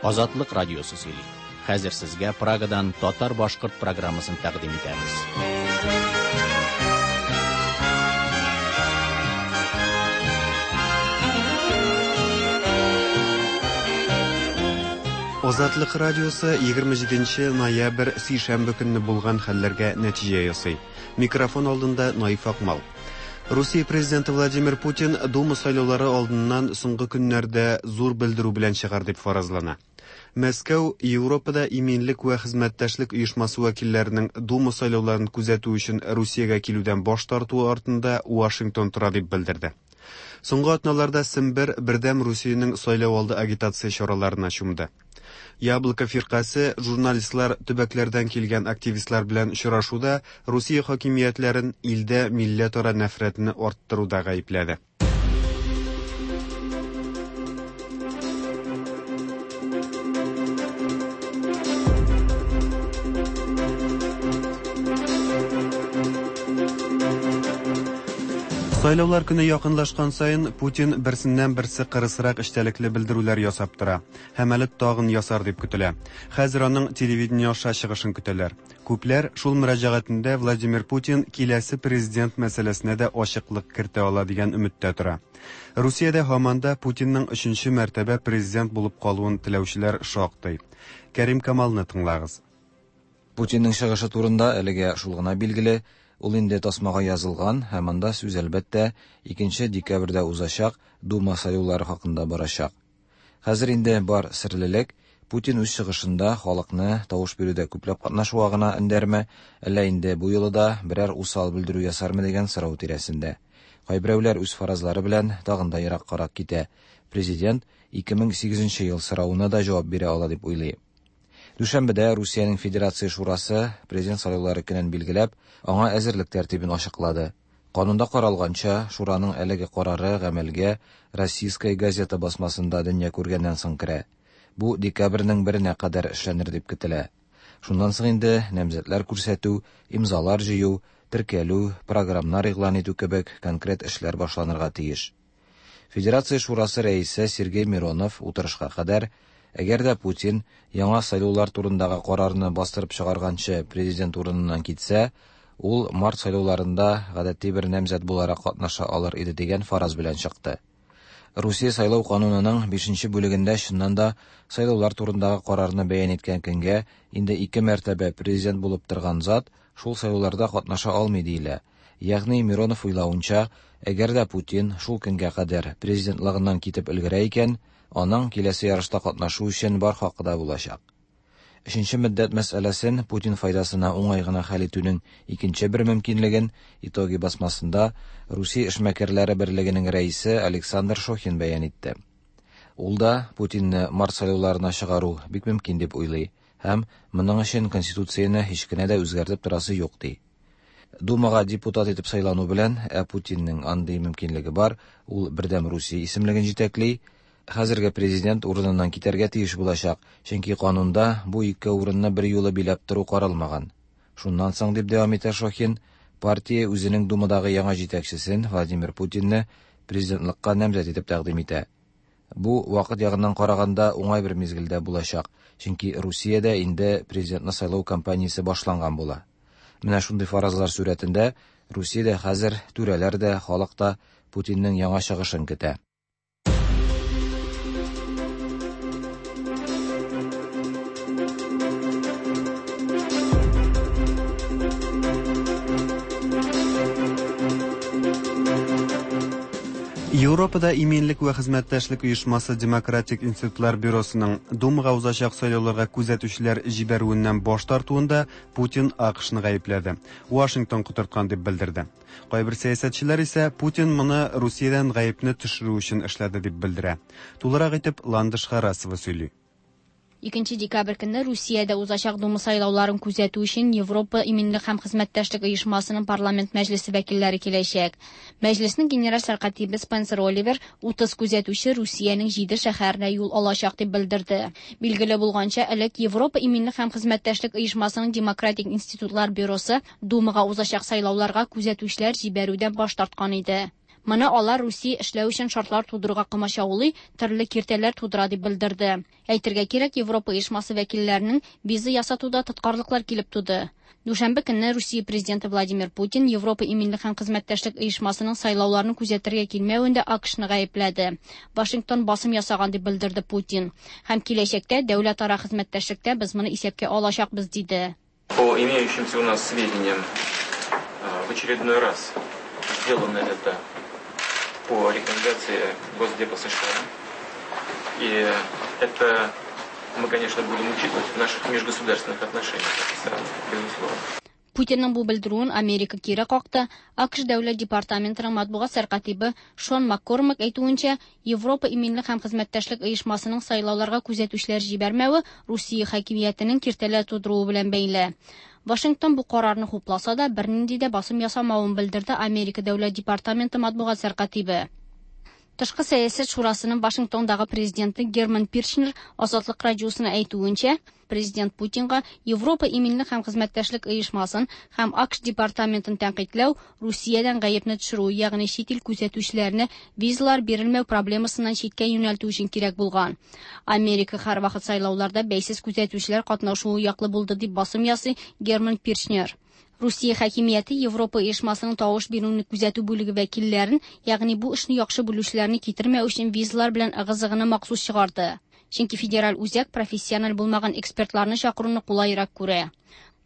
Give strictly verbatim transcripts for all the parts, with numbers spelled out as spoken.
Азатлык радиосы сөйли. Хәзер сезгә Прагадан татар-башкорт программасын тәкъдим итәбез. Азатлык радиосы егерме җиденче ноябрь сишәмбе көнне булган хәлләргә нәтиҗә ясый. Микрофон алдында Наиф Акмал. Русия президенты Владимир Путин Дума сайлаулары алдыннан соңгы көннәрдә зур белдерү белән чыгар дип фаразлана. Мәскәү Европада иминлек вә хезмәттәшлек оешмасы вәкилләренең Дума сайлауларын күзәтү өчен Русиягә килүдән баш тартуы артында Вашингтон тора дип белдерде. Соңгы атналарда Сембер Бердәм Русиянең сайлау алды агитация чараларына чумды. Яблоко фиркасе журналистлар төбәкләрдән килгән активистлар белән очрашуда Русия хакимиятләрен илдә милләтара нәфрәтне арттыруда гаепләде. Сайлаулар көне якынлашкан саен Путин берсеннән берсе кырысрак эчтәлекле белдерүләр ясап тора. Һәм әле тагын ясар дип көтелә. Хәзер аның телевидение аша чыгышын көтәләр. Күпләр шул мөрәҗәгатендә Владимир Путин киләсе президент мәсьәләсенә дә ачыклык кертә ала дигән өметтә тора. Русиядә һаман да Путинның өченче мәртәбә президент булып калуын теләүчеләр шактый. Кәрим Камалны тыңлагыз. Путинның чыгышы турында әлегә шул гына билгеле. Ул инде тасмага язылган һәм анда сүз әлбәттә икенче декабрьдә узачак Дума сайлаулары хакында барачак. Хәзер инде бар серлелек Путин үз чыгышында халыкны тавыш бирүдә күпләп катнашуга гына өндәрме, әллә инде бу юлы да берәр усал белдерү ясармы дигән сорау тирәсендә. Кайберәүләр үз фаразлары белән тагын да ераккарак китә. Президент ике мең сигезенче ел соравына да җавап бирә ала дип уйлый. Дүшәмбедә Русиянең Федерация Шурасы президент сайлаулары көнен билгеләп, аңа әзерлек тәртибен ачыклады. Канунда каралганча, Шураның әлеге карары гамәлгә Российская газета басмасында дөнья күргәннән соң керә. Бу декабрьнең беренә кадәр эшләнер дип көтелә. Шуннан соң инде намзәтләр күрсәтү, имзалар җыю, теркәлү, программнар игълан итү кебек конкрет эшләр башланырга тиеш. Федерация Шурасы рәисе Сергей Миронов утырышка кадәр әгәр дә Путин яңа сайлаулар турындагы карарны бастырып чыгарганчы президент урыныннан китсә, ул март сайлауларында гадәти бер намзәт буларак катнаша алыр иде дигән фараз белән чыкты. Русия сайлау канунының бишенче бүлегендә чыннан да сайлаулар турындагы карарны бәян иткән көнгә инде ике мәртәбә президент булып торган зат шул сайлауларда катнаша алмый диелә. Ягъни Миронов уйлавынча, әгәр дә Путин шул көнгә кадәр президентлыгыннан китеп өлгерә икән, аның киләсе ярышта катнашу өчен бар хакы да булачак. Өченче мөддәт мәсьәләсен Путин файдасына уңай гына хәл итүнең икенче бер мөмкинлеген Итоги басмасында Русия эшмәкәрләре берлегенең рәисе Александр Шохин бәян итте. Ул да Путинны март сайлауларына чыгару бик мөмкин дип уйлый һәм моның өчен конституцияне һич кенә дә үзгәртеп торасы юк ди. Думага депутат итеп сайлану белән, ә Путинның андый мөмкинлеге бар, ул Бердәм Русия исемлеген җитәкли. Хәзерге президент урыныннан китәргә тиеш булачак, чөнки канунда бу ике урынны бер юлы биләп тору каралмаган. Шуннан соң, дип дәвам итә Шохин, партия үзенең Думадагы яңа җитәкчесен Владимир Путинны президентлыкка намзәт итеп тәкъдим итә. Бу вакыт ягыннан караганда уңай бер мизгелдә булачак, чөнки Русиядә инде президентны сайлау кампаниясе башланган була. Менә шундый фаразлар сурәтендә Русиядә хәзер түрәләр дә, халык та Путинның яңа чыгышын көтә. Европада иминлек вә хезмәттәшлек оешмасы Демократик институтлар бюросының Думага узачак сайлауларга күзәтүчеләр җибәрүеннән баш тартуында Путин АКШны гаепләде. Вашингтон котырткан дип белдерде. Кайбер сәясәтчеләр исә Путин моны Русиядән гаепне төшерү өчен эшләде дип белдерә. Тулырак итеп Ландыш Харасова сөйли. Икенче декабрь көнне Русиядә узачак Дума сайлауларын күзәтү өчен Европа иминлек һәм хезмәттәшлек оешмасының парламент мәҗлесе вәкилләре киләчәк. Мәҗлеснең генераль сәркатибе Спенсер Оливер утыз күзәтүче Русиянең җиде шәһәренә юл алачак дип белдерде. Билгеле булганча, элек Европа иминлек һәм хезмәттәшлек оешмасының Демократик институтлар бюросы Думага узачак сайлауларга күзәтүчеләр җибәрүдән баш тарткан иде. Моны алар Русия эшләү өчен шартлар тудыруга комачаулый, төрле киртәләр тудыра дип белдерде. Әйтергә кирәк, Европа оешмасы вәкилләренең виза ясатуда тоткарлыклар килеп туды. Дүшәмбе көнне Русия президенты Владимир Путин Европа иминлек һәм хезмәттәшлек оешмасының сайлауларын күзәтергә килмәвендә АКШны гаепләде. Вашингтон басым ясаган дип белдерде Путин. Һәм киләчәктә дәүләтара хезмәттәшлектә без моны исәпкә алачакбыз, диде. По имеющимся у нас сведениям, в очередной раз сделано это по рекомендации Госдепа США. И это мы, конечно, будем учитывать в наших межгосударственных отношениях страны, безусловно. Путинның бу белдерүен Америка кире какты. АКШ дәүләт департаментының матбугат сәркатибе Шон Маккормак әйтүенчә, Европа иминлек һәм хезмәттәшлек оешмасының сайлауларга күзәтүчеләр җибәрмәве Русия хакимиятенең киртәләр тудыруы белән бәйле. Вашингтон бу карарны хупласа да, бернинди дә басым ясамавын белдерде Америка дәүләт департаменты матбугат сәркатибе. Тышкы сәясәт шурасының Вашингтондагы президенты Герман Пиршнер Азатлык радиосына әйтүенчә, президент Путинга Европа иминлек һәм хезмәттәшлек оешмасын һәм АКШ департаментын тәнкыйтьләү Русиядән гаепне төшерү, ягъни чит ил күзәтүчеләренә визалар бирелмәү проблемасыннан читкә юнәлтү өчен кирәк булган. Америка һәрвакыт сайлауларда бәйсез күзәтүчеләр катнашуы яклы булды дип басым ясый Герман Пиршнер. Русия хакимияте Европа оешмасының тавыш бирүне күзәтү бүлеге вәкилләрен, ягъни бу эшне яхшы белүчеләрне китермәү өчен визалар белән ыгы-зыгыны махсус чыгарды. Чөнки федераль үзәк профессиональ булмаган экспертларны чакыруны кулайрак күрә.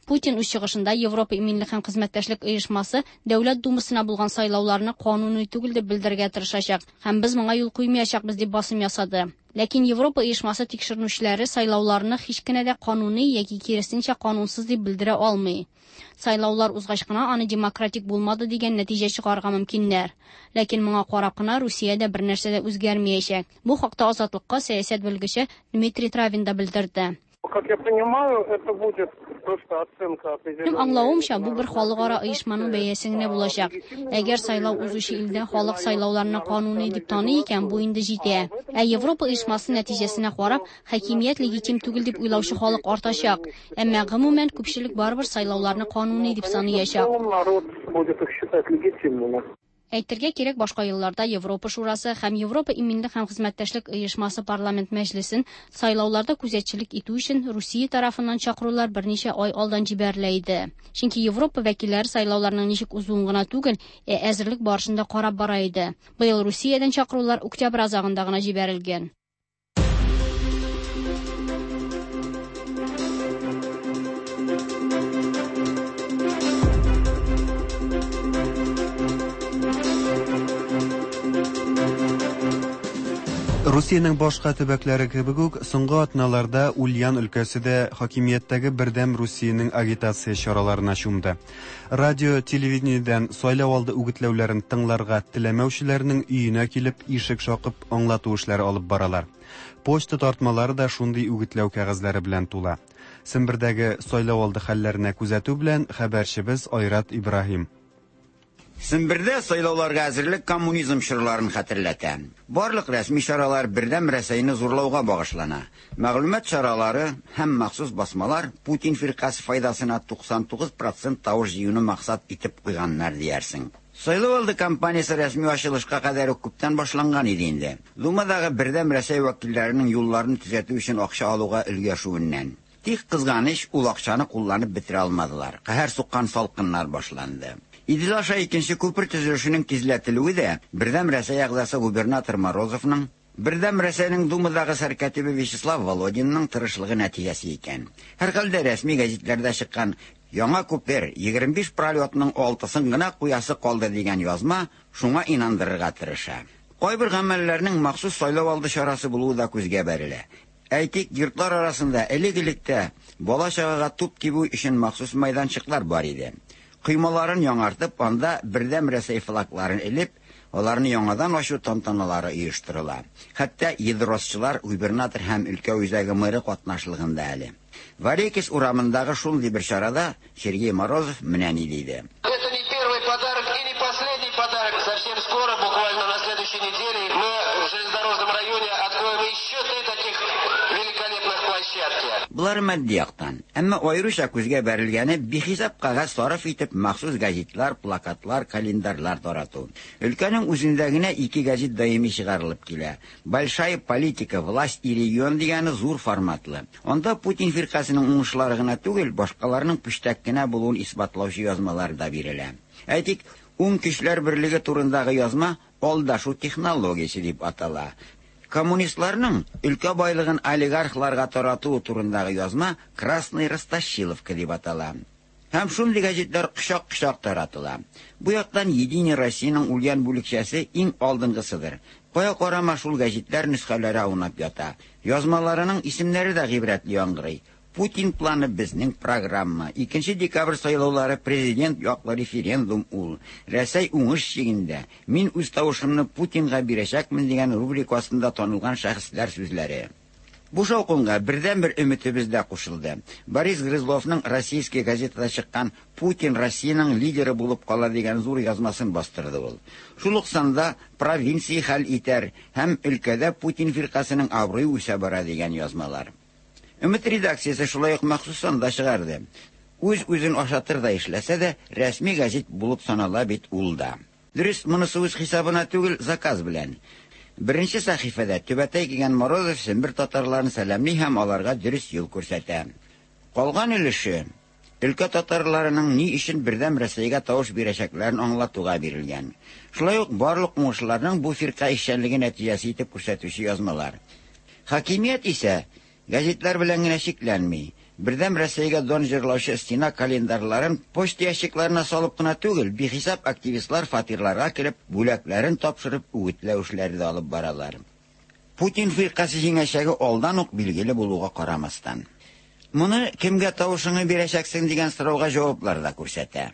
Путин үз чыгышында Европа иминлек һәм хезмәттәшлек оешмасы Дәүләт Думасына булган сайлауларны кануни түгел дип белдерергә тырышачак һәм без моңа юл куймаячакбыз дип басым ясады. Ләкин Европа оешмасы тикшеренүчеләре сайлауларны һич кенә дә кануни яки киресенчә канунсыз дип белдерә алмый. Сайлаулар узгач кына аны демократик булмады дигән нәтиҗә чыгарырга мөмкиннәр. Ләкин моңа карап кына Русиядә бер нәрсә дә үзгәрмәячәк. Бу хакта Азатлыкка сәясәт белгече Дмитрий Травин да белдерде. Как я понимаю, это будет просто оценка определенной. Минем аңлавымча, бу бер халыкара оешманың бәясе генә булачак. Әгәр сайлау узучы илдә халык сайлауларны кануни дип таный икән, бу инде җитә. Ә Европа оешмасы нәтиҗәсенә карап, хакимият легитим түгел дип уйлаучы халык артачак. Әмма гомумән күпчелек барыбер сайлауларны кануни дип саныячак. Народ будет их считать легитимными. Әйтергә кирәк, башка елларда Европа Шурасы һәм Европа иминлек һәм хезмәттәшлек оешмасы парламент мәҗлесен сайлауларда күзәтчелек итү өчен Русия тарафыннан чакырулар берничә ай алдан җибәрелә иде. Чөнки Европа вәкилләре сайлауларның ничек узуын гына түгел, ә әзерлек барышында карап бара иде. Быел Русиядән чакырулар октябрь азагында гына җибәрелгән. Русиянең башка төбәкләре кебек үк, соңгы атналарда Ульян өлкәсе дә хакимияттәге Бердәм Русиянең агитация чараларына чумды. Радио, телевидениедән сайлау алды үгетләүләрен тыңларга теләмәүчеләрнең өенә килеп, ишек шакып аңлату эшләре алып баралар. Почта тартмалары да шундый үгетләү кәгазьләре белән тула. Сембердәге сайлау алды хәлләренә күзәтү белән хәбәрчебез Айрат Ибраһим. Сембердә сайлауларга әзерлек коммунизм чорларын хәтерләтә. Барлык рәсми чаралар Бердәм Рәсәйне зурлауга багышлана. Мәгълүмат чаралары һәм махсус басмалар Путин фиркасе файдасына туксан тугыз процент тавыш җыюны максат итеп куйганнар диярсең. Сайлау алды кампаниясе рәсми ачылышка кадәр үк күптән башланган иде инде. Думадагы Бердәм Рәсәй вәкилләренең юлларын төзәтү өчен акча алуга өлгәшүеннән. Тик кызганыч, ул акчаны кулланып бетерә алмадылар. Каһәр суккан салкыннар башланды. Идел аша икенче күпер төзелешенең тизләтелүе дә Бердәм Рәсәй әгъзасы губернатор Морозовның, Бердәм Рәсәйнең Думадагы сәркатибе Вячеслав Володинның тырышлыгы нәтиҗәсе икән. Һәрхәлдә рәсми гәзитләрдә чыккан яңа күпер егерме биш пролетның алтысын гына куясы калды дигән язма шуңа инандырырга тырыша. Кайбер гамәлләрнең махсус сайлау алды чарасы булуы да күзгә бәрелә. Әйтик, йортлар арасында элек-электә бала-чагага туп тибү өчен махсус мәйданчыклар бар иде. Коймаларын яңартып, анда Бердәм Рәсәй флагларын элеп, аларны яңадан ачу тантаналары оештырыла. Хәтта едросчылар губернатор һәм өлкә үзәге мэры катнашлыгында әле. Варекис урамындагы шундый бер чарада Сергей Морозов менә ни диде. Это не первый подарок и не последний подарок. Совсем скоро, буквально на следующей неделе, мы в железнодорожном районе откроем еще три таких великолепных площадки. Булар матди яктан. Әмма аеруча күзгә бәрелгәне бихисап кәгазь сарыф итеп махсус газетлар, плакатлар, календарьлар тарату. Өлкәнең үзендә генә ике газет даими чыгарылып килә. Большая политика, власть и регион дигәне зур форматлы. Анда Путин фиркасының уңышлары гына түгел, башкаларның пүчтәк кенә булуын исбатлаучы язмалар да бирелә. Әйтик, Уң көчләр берлеге турындагы язма алдашу технологиясе дип атала. Коммунистларның өлкә байлыгын олигархларга тарату турындагы язма Красный Ростощиловка дип атала. Һәм шундый газетлар кочак-кочак таратыла. Бу яктан Единая Россияның үлгән бүлекчәсе иң алдынгысыдыр. Кая карама шул газетлар нөсхәләре аунап ята. Язмаларының исемнәре дә гыйбрәтле яңгырый. Путин планы безнең программа. Икенче декабрь сайлаулары президент яклы референдум ул. Рәсәй уңыш чигендә. Мин үз тавышымны Путинга бирәчәкмен дигән рубрика астында танылган шәхесләр сүзләре. Бу шаукымга бердәнбер өметебез дә кушылды. Борис Грызловның Российская газетада чыккан Путин Россиянең лидеры булып кала дигән зур язмасын бастырды ул. Шул ук санда провинция хәл итәр һәм өлкәдә Путин фиркасының абруе үсә бара дигән язмалар. Өмет редакциясе шулай ук махсус санда чыгарды. Үз-үзен ашатыр да эшләсә дә, рәсми газет булып санала бит ул да. Дөрес, монысы үз хисабына түгел, заказ белән. Беренче сәхифәдә түбәтәй кигән Морозов Сембер татарларын сәламли һәм аларга дөрес юл күрсәтә. Калган өлеше өлкә татарларының ни өчен бердәм Рәсәйгә тавыш бирәчәкләрен аңлатуга бирелгән. Шулай ук барлык уңышларның бу фирка эшчәнлеге нәтиҗәсе итеп күрсәтүче язмалар. Хакимият исә газетлар белән генә чикләнми. Бердәм Рәсәйгә дан җырлаучы стена календарьларын почта ящикларына салып кына түгел, бихисап активистлар фатирларга кереп, бүләкләрен тапшырып, үгетләү эшләре дә алып баралар. Путин фиркасе җиңәчәге алдан ук билгеле булуга карамастан. Моны кемгә тавышыңны бирәчәксең дигән сорауга җаваплар да күрсәтә.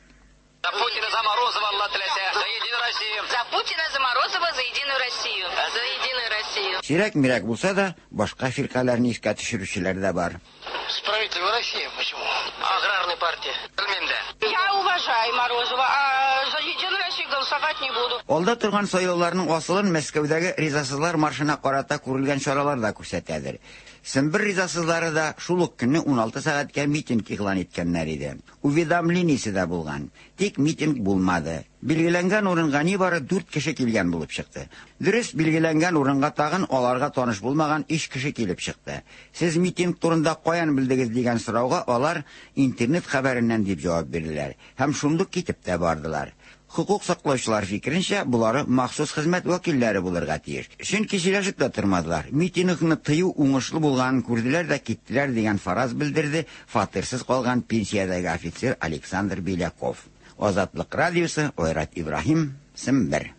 За Путина, за Морозова, Алла теләсә, за Единую Россию. За Путина, за Морозова, за Единую Россию. За Единую Россию. Сирәк-мирәк булса да, башка фиркаләрне искә төшерүчеләр дә бар. Справедливая Россия, почему? Аграрная партия. Белмим дә. Я уважаю Морозова, а за Единую Россию голосовать не буду. Алда торган сайлауларның асылын Мәскәүдәге ризасызлар маршына карата күрелгән чаралар да күрсәтәдер. Сембер ризасызлары да шул ук көнне уналты сәгатькә митинг игълан иткәннәр иде. Уведомлениесе дә булган. Тик митинг булмады. Билгеләнгән урынга нибары дүрт кеше килгән булып чыкты. Дөрес, билгеләнгән урынга тагын аларга таныш булмаган өч кеше килеп чыкты. Сез митинг турында каян белдегез дигән сорауга алар интернет хәбәреннән дип җавап бирделәр һәм шундук китеп тә бардылар. Хукук саклаучылар фикеренчә, булары махсус хезмәт вәкилләре булырга тиеш. Чөнки сөйләшеп тә тормадылар. Митингны тыю уңышлы булганын күрделәр дә киттеләр дигән фараз белдерде фатирсыз калган пенсиядәге офицер Александр Беляков. Азатлык радиосы, Ойрат Ибраһим, Сембер.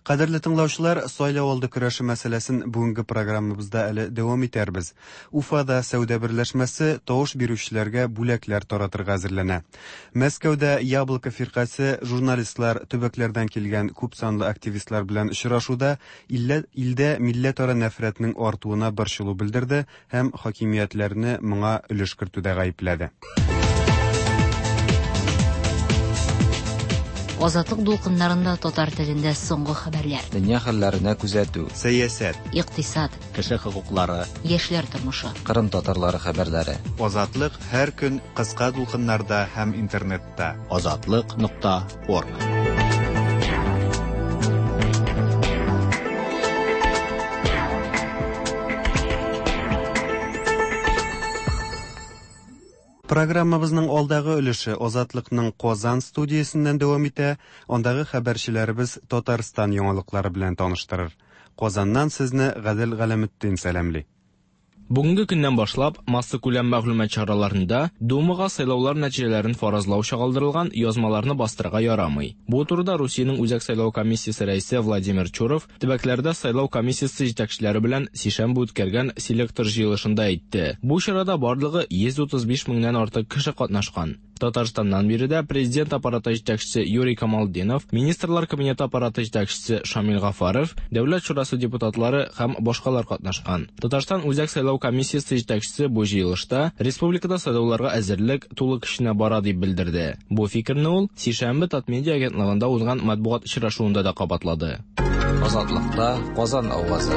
Кадерле тыңлаучылар, сайлау алды көрәше мәсьәләсен бүгенге программабызда әле дәвам итәрбез. Уфада сәүдә берләшмәсе тавыш бирүчеләргә бүләкләр таратырга әзерләнә. Мәскәүдә Яблоко фиркасе журналистлар, төбәкләрдән килгән күп санлы активистлар белән очрашуда илдә милләтара нәфрәтнең артуына борчылу белдерде һәм хакимиятләрне моңа өлеш кертүдә гаепләде. Азатлык дулкыннарында татар телендә соңгы хәбәрләр. Дөнья хәлләренә күзәтү. Сәясәт. Икътисад. Кеше хокуклары. Яшьләр тормышы. Кырым татарлары хәбәрләре. Азатлык һәр көн кыска дулкыннарда һәм интернетта. Азатлык нокта орг. Программабызның алдагы өлеше Азатлыкның Казан студиясеннән дәвам итә. Андагы хәбәрчеләребез Татарстан яңалыклары белән таныштырыр. Казаннан сезне Гадел Галәметдин сәламли. Бүгенге көннән башлап массакүләм мәгълүмат чараларында Думага сайлаулар нәтиҗәләрен фаразлау чагылдырылган язмаларны бастырырга ярамый. Бу турыда Русиянең Үзәк сайлау комиссиясе рәисе Владимир Чуров төбәкләрдә сайлау комиссиясе җитәкчеләре белән сишәмбе үткәргән селектор җыелышында әйтте. Бу чарада барлыгы йөз утыз биш меңнән артык кеше катнашкан. Татарстаннан биредә президент аппараты җитәкчесе Юрий Камалдинов, Министрлар кабинеты аппараты җитәкчесе Шамил Гафаров, Дәүләт шурасы депутатлары һәм башкалар катнашкан. Татарстан Үзәк сайлау комиссиясе җитәкчесе бу җыелышта республикада сайлауларга әзерлек тулы көченә бара дип белдерде. Бу фикерне ул сишәмбе Татмедиа агентлыгында узган матбугат очрашуында да кабатлады. Азатлыкта Казан авазы.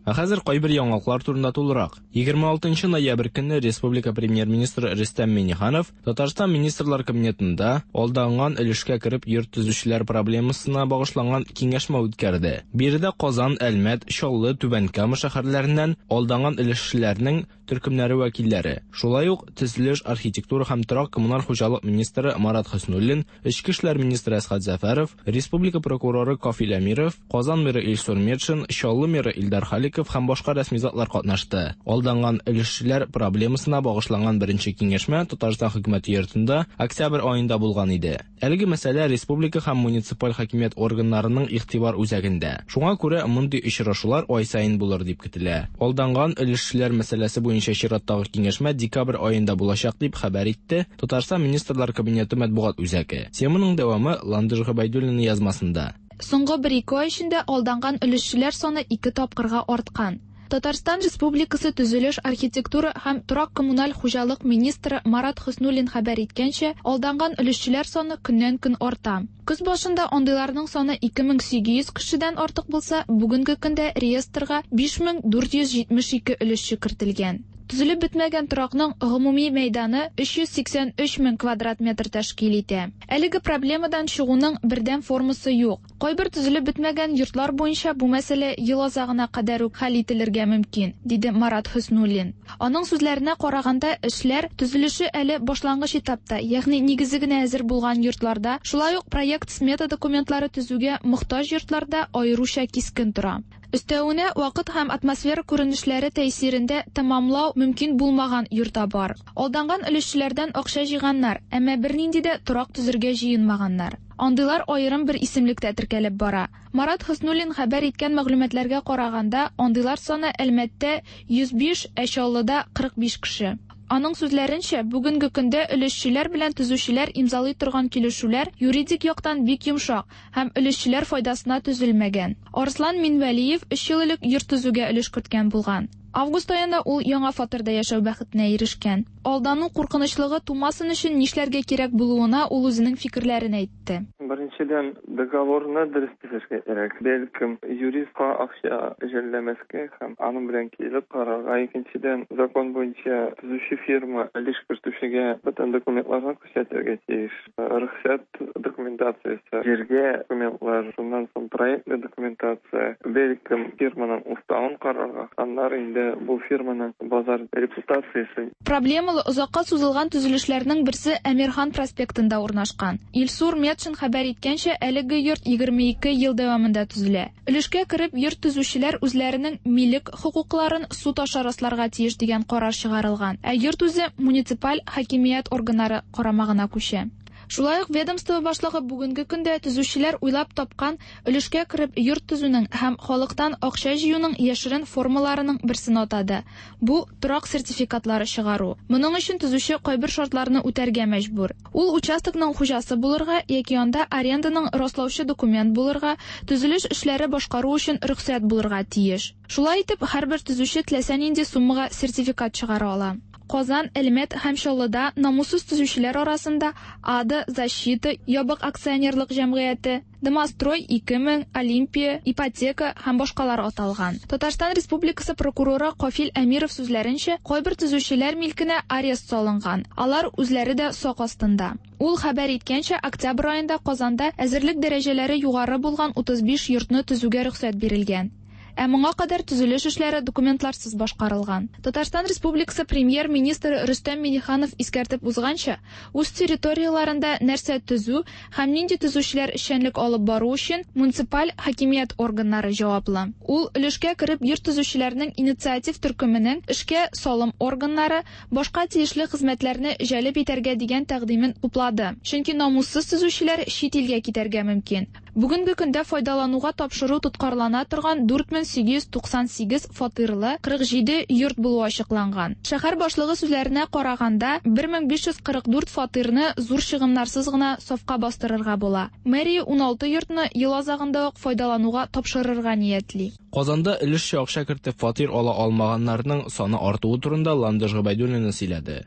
Ә хәзер кайбер яңалыклар турында тулырак. егерме алтынчы ноябрь көнне Республика премьер-министры Рөстәм Миңнеханов Татарстан Министрлар Кабинетында алданган өлешкә кереп йорт төзүчеләр проблемасына багышланган киңәшмә үткәрде. Биредә Казан, Әлмәт, Чаллы, Түбән Кама шәһәрләреннән алданган өлешчеләрнең төркемнәре вәкилләре, шулай ук төзелеш, архитектура һәм торак коммуналь хуҗалык министры Марат Хөснуллин, Эчке эшләр министры Әсхәт Зәфәров, Республика прокуроры Кафил Әмиров, Казан мэры Илсур Метшин, Чаллы мэры Илдар Халиков һәм башка рәсми затлар катнашты. Алданган өлешчеләр проблемасына багышланган беренче киңәшмә Татарстан хөкүмәте йортында октябрь аенда булган иде. Әлеге мәсьәлә республика һәм муниципаль хакимият органнарының игътибар үзәгендә. Шуңа күрә мондый очрашулар ай саен булыр дип көтелә. Алданган өлешчеләр мәсьәләсе буенча чираттагы киңәшмә декабрь аенда булачак дип хәбәр итте Татарстан Министрлар Кабинеты матбугат үзәге. Теманың дәвамы Ландыш Гобәйдуллина язмасында. Соңгы бер ике ай эчендә алданган өлешчеләр саны ике тапкырга арткан. Татарстан Республикасы төзелеш, архитектура һәм торак коммуналь хуҗалык министры Марат Хөснуллин хәбәр иткәнчә, алданган өлешчеләр саны көннән-көн арта. Көз башында андыйларның саны ике мең сигез йөз кешедән артык булса, бүгенге көндә реестрга биш мең дүрт йөз җитмеш ике өлешче кертелгән. Төзелеп бетмәгән торакның гомуми мәйданы өч йөз сиксән өч мең квадрат метр тәшкил итә. Әлеге проблемадан чыгуның бердәм формасы юк. Кайбер төзелеп бетмәгән йортлар буенча бу мәсьәлә ел азагына кадәр үк хәл ителергә мөмкин, диде Марат Хөснуллин. Аның сүзләренә караганда, эшләр төзелеше әле башлангыч этапта, ягъни нигезе генә әзер булган йортларда, шулай ук проект-смета документлары төзүгә мохтаҗ йортларда аеруча кискен тора. Өстәвенә, вакыт һәм атмосфера күренешләре тәэсирендә тәмамлау мөмкин булмаган йорта бар. Алданган өлешчеләрдән акча җыйганнар, әмма бернинди дә торак төзергә җыенмаганнар. Андыйлар аерым бер исемлектә теркәлеп бара. Марат Хөснуллин хәбәр иткән мәгълүматларга караганда, андыйлар саны Әлмәттә йөз биш, ә Чаллыда кырык биш кеше. Аның сүзләренчә, бүгенге көндә өлешчеләр белән төзүчеләр имзалый торган килешүләр юридик яктан бик йомшак һәм өлешчеләр файдасына төзелмәгән. Арслан Минвәлиев өч ел элек йорт төзүгә өлеш керткән булган. Август аенда ул яңа фатирда яшәү бәхетенә ирешкән. Алдану куркынычлыгы тумасын өчен нишләргә кирәк булуына ул үзенең фикерләрен әйтте. Беренчедән, договорны дөрес төзергә кирәк. Бәлкем, юристка акча жәлләмәскә һәм аның белән килеп карарга. Икенчедән, закон буенча төзүче фирма өлеш кертүчегә бөтен документларны күрсәтергә тиеш. Рөхсәт документациясе, җиргә документлар, шуннан соң проектлы документация, бәлкем, фирманың уставын карарга. Аннары инде бу фирманың базар репутациясе. Проблемалы озакка сузылган төзелешләрнең берсе Әмирхан проспектында урнашкан. Илсур Метшин хәбәр иткәнчә, әлеге йорт егерме ике ел дәвамында төзелә. Өлешкә кереп йорт төзүчеләр үзләренең милек хокукларын суд аша расларга тиеш дигән карар чыгарылган. Ә йорт үзе муниципаль хакимият органнары карамагына күчә. Шулай ук ведомство башлыгы бүгенге көндә төзүчеләр уйлап тапкан өлешкә кереп йорт төзүнең һәм халыктан акча җыюның яшерен формаларының берсен атады. Бу торак сертификатлары чыгару. Моның өчен төзүче кайбер шартларны үтәргә мәҗбүр. Ул участокның хуҗасы булырга яки анда аренданың раслаучы документ булырга, төзелеш эшләре башкару өчен рөхсәт булырга тиеш. Шулай итеп, һәрбер төзүче теләсә нинди суммага сертификат чыгара ала. Казан, Әлмәт һәм Чаллыда намуссыз төзүчеләр арасында Ада, Защита, ябык акционерлык җәмгыяте, Домострой ике мең, Олимпия, Ипотека һәм башкалар аталган. Татарстан Республикасы прокуроры Кафил Әмиров сүзләренчә, кайбер төзүчеләр милкенә арест салынган. Алар үзләре дә сак астында. Ул хәбәр иткәнчә, октябрь аенда Казанда әзерлек дәрәҗәләре югары булган утыз биш йортны төзүгә рөхсәт бирелгән. Ә моңа кадәр төзелеш эшләре документларсыз башкарылган. Татарстан Республикасы премьер-министры Рөстәм Миңнеханов искәртеп узганча, үз территорияләрендә нәрсә төзү һәм нинди төзүчеләр эшчәнлек алып бару өчен муниципаль хакимият органнары җаваплы. Ул өлешкә кереп йорт төзүчеләрнең инициатив төркеменең эшкә салым органнары, башка тиешле хезмәтләрне җәлеп итәргә дигән тәкъдимен хуплады. Чөнки намуссыз төзүчеләр чит илгә китәргә мөмкин. Бүгенге көндә файдалануга тапшыру тоткарлана торган дүрт мең сигез йөз туксан сигез фатирлы кырык җиде йорт булуы ачыкланган. Шәһәр башлыгы сүзләренә караганда, бер мең биш йөз кырык дүрт фатирны зур чыгымнарсыз гына сафка бастырырга була. Мэрия уналты йортны ел азагында ук файдалануга тапшырырга ниятли. Казанда өлешчә акча кертеп фатир ала алмаганнарның саны артуы турында Ландыш Гобәйдуллина сөйләде.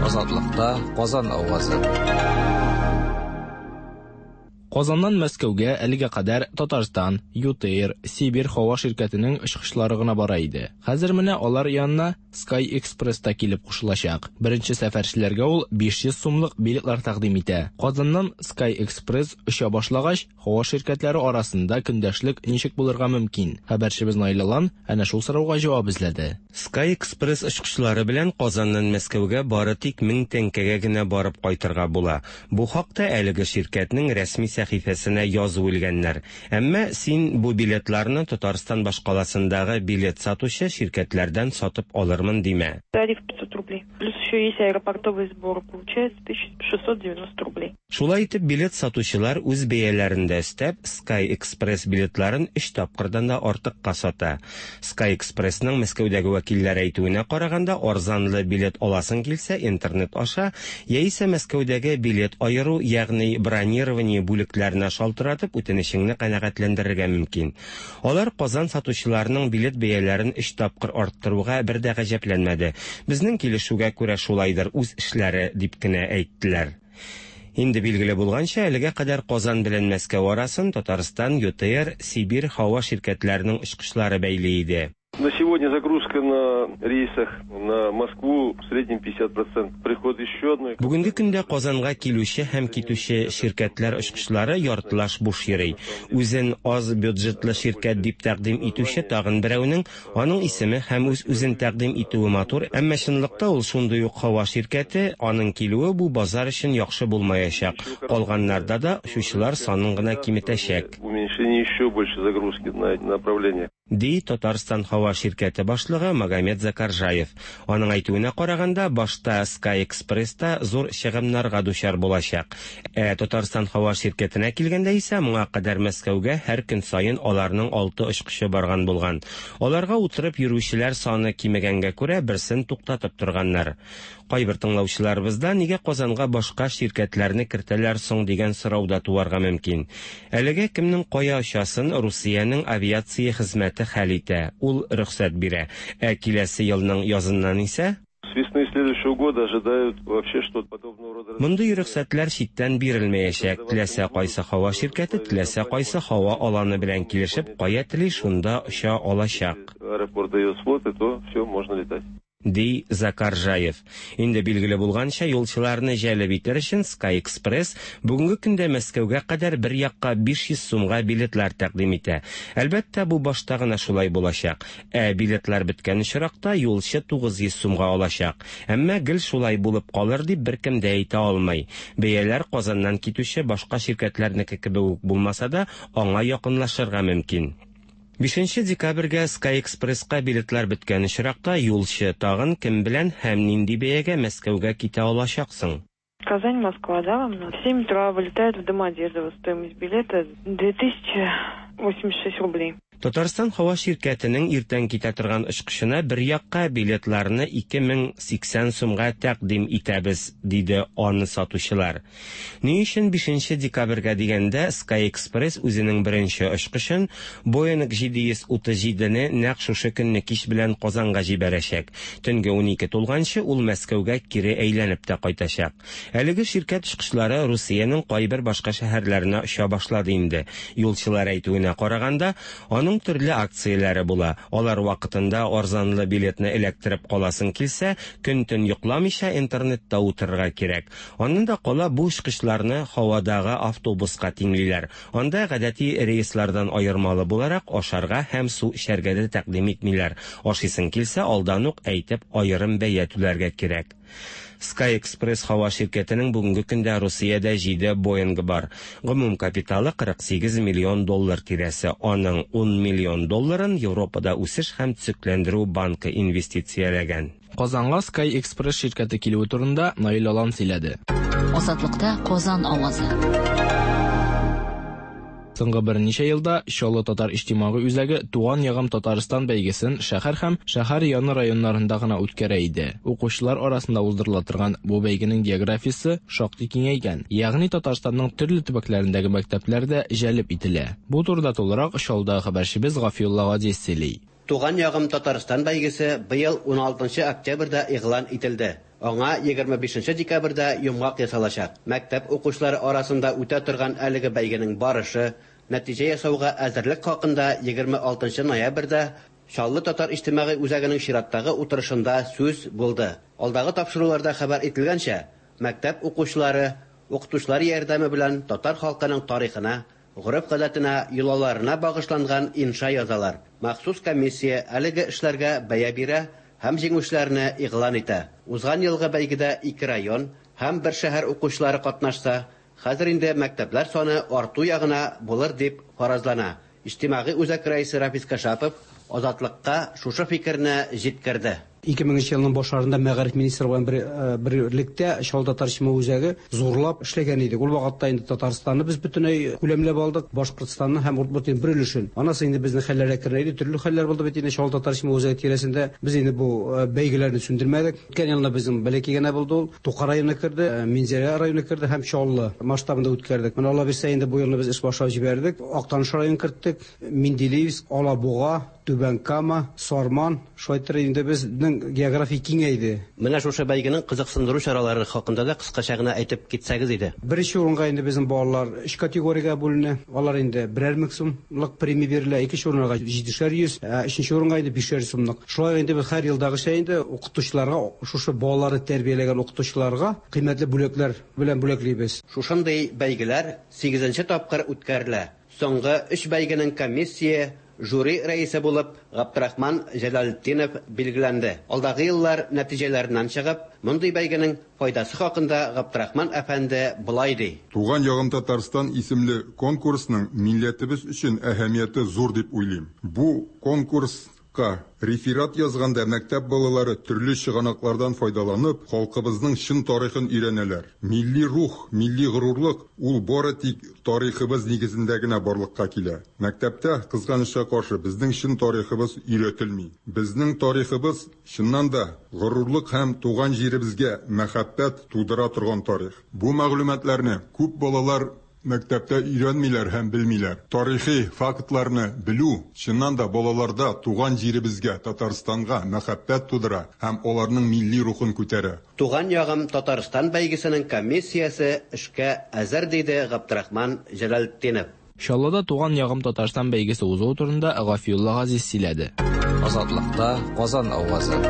Азатлыкта Казан авазы. Казаннан Мәскәүгә әлегә кадәр Татарстан, ЮТэйр, Сибирь һава ширкәтенең очкычлары гына бара иде. Хәзер менә алар янына Sky Express та килеп кушылачак. Беренче сәфәрчеләргә ул биш йөз сумлык билетлар тәкъдим итә. Казаннан Sky Express оча башлагач, һава ширкәтләре арасында көндәшлек ничек булырга мөмкин? Хәбәрчебез Наил Алан әнә шул сорауга җавап эзләде. Sky Express очкычлары белән Казаннан Мәскәүгә бары тик мең тәңкәгә генә барып кайтырга була. Бу хакта әлеге ширкәтнең рәсми сәхифәсенә язу элгәннәр. Әмма син бу билетларны Татарстан башкаласындагы билет сатучы ширкәтләрдән сатып алырмын димә. Тариф пятьсот рублей. Плюс еще есть аэропортовый сбор, получается тысяча шестьсот девяносто рублей. Шулай итеп билет сатучылар үз бәяләрен дә өстәп, Sky Express билетларын өч тапкырдан да артыкка сата. Sky Expressның Мәскәүдәге вәкилләре әйтүенә караганда, арзанлы билет аласың килсә, интернет аша яисә Мәскәүдәге билет аеру, ягъни бронирование бүлекләренә шалтыратып үтенечеңне канәгатьләндерергә мөмкин. Алар Казан сатучыларының билет бәяләрен өч тапкыр арттыруга бер дә гаҗәпләнмәде. Безнең килешүгә күрә шулайдыр, үз эшләре дип кенә әйттеләр. Инде билгеле булганча, әлегә кадәр Казан белән Мәскәү арасын Татарстан, ЮТэйр, Сибирь һава ширкәтләренең очкычлары бәйли иде. На сегодня загрузка на рейсах на Москву в среднем пятьдесят процентов. Приход еще одной. Бүгенге көндә Казанга килүче һәм китүче ширкәтләр очкычлары яртылаш буш йөри. Үзен аз бюджетлы ширкәт дип тәкъдим итүче тагын берәүнең аның исеме һәм үз-үзен тәкъдим итүе матур, әмма чынлыкта ул шундый ук һава ширкәте, аның килүе бу базар өчен яхшы булмаячак. Калганнарда да очучылар санын гына киметәчәк. Уменьшение еще больше загрузки на направление. Ди Татарстан һава ширкәте башлыгы Магомед Закаржаев. Аның әйтүенә караганда, башта Sky Express-та зур чыгымнарга дучар булачак. Ә Татарстан һава ширкәтенә килгәндә исә, моңа кадәр Мәскәүгә һәр көн саен аларның алты очкычы барган булган. Аларга утырып йөрүчеләр саны кимегәнгә күрә берсен туктатып торганнар. Кайбер тыңлаучыларыбызда нигә Казанга башка ширкәтләрне кертәләр соң дигән сорау да туарга мөмкин. Әлегә кемнең кая очасын Русиянең авиация хезмәте хәл итә, ул рөхсәт бирә. Ә киләсе елның языннан исә С весны следующего года ожидают вообще, что подобного рода... Мондый рөхсәтләр читтән бирелмәячәк. Теләсә кайсы һава ширкәте, теләсә кайсы һава аланы белән килешеп, кая тели шунда оча алачак. Аэропорт дает слоты, то все, можно летать. Ди Закаржаев. Инде билгеле булганча, юлчыларны җәлеп итәр өчен Sky Express бүгенге көндә Мәскәүгә кадәр бер якка биш йөз сумга билетлар тәкъдим итә. Әлбәттә, бу башта гына шулай булачак. Ә билетлар беткән очракта юлчы тугыз йөз сумга алачак. Әмма гел шулай булып калыр дип беркем дә әйтә алмый. Бәяләр Казаннан китүче башка ширкәтләрнеке кебек үк булмаса да, аңа якынлашырга мөмкин. Бишенче декабрьгә Sky Express-ка билетлар беткән очракта юлчы тагын кем белән һәм нинди бәягә Мәскәүгә китә алачаксың? Казань, Москва, да, вам в семь утра вылетает в Домодедово. Стоимость билета две тысячи восемьдесят шесть рублей. Татарстан һава ширкәтенең иртән китә торган очкычына бер якка билетларны ике мең сиксән сумга тәкъдим итәбез, диде аны сатучылар. Ни өчен бишенче декабрьгә дигәндә Sky Express үзенең беренче очкычын Boeing җиде йөз утыз җидене нәкъ шушы көнне кич белән Казанга җибәрәчәк. Төнге унике тулганчы ул Мәскәүгә кире әйләнеп тә кайтачак. Әлеге ширкәт очкычлары Русиянең кайбер башка шәһәрләренә оча башлады инде. Юлчылар әйтүенә караганда, аның төрле акцияләре була. Алар вакытында арзанлы билетны эләктереп каласың килсә, көн-төн йокламыйча интернетта утырырга кирәк. Аннан да кала бу очкычларны һавадагы автобуска тиңлиләр. Анда гадәти рейслардан аермалы буларак ашарга һәм су эчәргә дә тәкъдим итмиләр. Ашыйсың килсә, алдан ук әйтеп аерым бәя түләргә кирәк. Sky Express һава ширкәтенең бүгенге көндә Русиядә җиде Боингы бар. Гомум капиталы кырык сигез миллион доллар тирәсе. Аның ун миллион долларын Европада үсеш һәм төзекләндерү банкы инвестицияләгән. Казанга Sky Express ширкәте килүе турында Наил Алан сөйләде. Азатлыкта Казан авазы. Соңгы берничә елда Чаллы татар иҗтимагый үзәге Туган ягым Татарстан бәйгесен шәһәр һәм шәһәр яны районнарында гына үткәрә иде. Укучылар арасында уздырыла торган бу бәйгенең географиясе шактый киңәйгән, ягъни Татарстанның төрле төбәкләрендәге мәктәпләр дә җәлеп ителә. Бу турыда тулырак Чаллыдагы хәбәрчебез Гафиулла Гадиев сөйли. Туган ягым Татарстан бәйгесе быел уналтынчы октябрьдә игълан ителде. Аңа егерме бишенче декабрьдә йомгак ясалачак. Мәктәп укучылары арасында үтә торган әлеге бәйгенең барышы, нәтиҗә ясауга әзерлек хакында егерме алтынчы ноябрьдә Чаллы татар иҗтимагый үзәгенең чираттагы утырышында сүз булды. Алдагы тапшыруларда хәбәр ителгәнчә, мәктәп укучылары укытучылар ярдәме белән татар халкының тарихына, гореф-гадәтенә, йолаларына багышланган инша язалар. Махсус комиссия әлеге эшләргә бәя бирә һәм җиңүчеләрне игълан итә. Узган елгы бәйгедә ике район һәм бер шәһәр укучылары катнашса, хәзер инде мәктәпләр саны арту ягына булыр дип фаразлана. Иҗтимагый үзәк рәисе Рафис Кашапов Азатлыкка шушы фикерне җиткерде. Ике меңенче елның башларында мәгариф министры белән бер, берлектә Чаллы татар иҗтимагый үзәге зурлап эшләгән идек. Ул вакытта инде Татарстанны без бөтенләй күләмләп алдык, Башкортстанны һәм Удмуртияның бер өлешен. Анасы инде безнең хәлләр әкренәйде, төрле хәлләр булды бит инде Чаллы татар иҗтимагый үзәге тирәсендә. Без инде бу бәйгеләрне сүндермәдек. Үткән елны безнең бәләкәй генә булды ул. Тукай районы керде, Минзәлә районы керде һәм Чаллы масштабында үткәрдек. Менә Алла бирсә инде бу елны без эш башлап җибәрдек. Актаныш районын керттек, Менделеевск, Алабуга, Түбән Кама, Сарман, шулай итеп инде безнең география киңәйде. Менә шушы бәйгенең кызыксындыру чаралары хакында да кыскача гына әйтеп китсәгез иде. Беренче урынга инде безнең балалар өч категориягә бүленә. Алар инде берәр мең сумлык премия бирелә, икенче урынга җидешәр йөз, өченче урынга инде бишәр сумлык. Шулай инде без һәр елдагыча инде укытучыларга, шушы балаларны тәрбияләгән укытучыларга кыйммәтле бүләкләр белән бүләклибез. Шушындый бәйгеләр сигезенче тапкыр үткәрелә. Соңгы өч бәйгенең комиссия жюри рәисе булып Габдрахман Җәләлетдинов билгеләнде. Алдагы еллар нәтиҗәләреннән чыгып, мондый бәйгенең файдасы хакында Габдрахман әфәнде болай ди. Туган ягым Татарстан исемле конкурсның милләтебез өчен әһәмияте зур дип уйлыйм. Бу конкурска реферат язганда мәктәп балалары төрле чыганаклардан файдаланып, халкыбызның чын тарихын өйрәнәләр. Милли рух, милли горурлык ул бары тик тарихыбыз нигезендә генә барлыкка килә. Мәктәптә, кызганычка каршы, безнең чын тарихыбыз өйрәтелми. Безнең тарихыбыз чыннан да горурлык һәм туган җиребезгә мәхәббәт тудыра торган тарих. Бу мәгълүматларны күп балалар мәктәптә өйрәнмиләр һәм белмиләр. Тарихи фактларны белү чыннан да балаларда туган җиребезгә, Татарстанга мәхәббәт тудыра һәм аларның милли рухын күтәрә. Туган ягым Татарстан бәйгесенең комиссиясе эшкә әзер, диде Габдрахман Җәләлетдинов. Чаллыда Туган ягым Татарстан бәйгесе узуы турында Гафиулла Газиз сөйләде. Азатлыкта Казан авазы.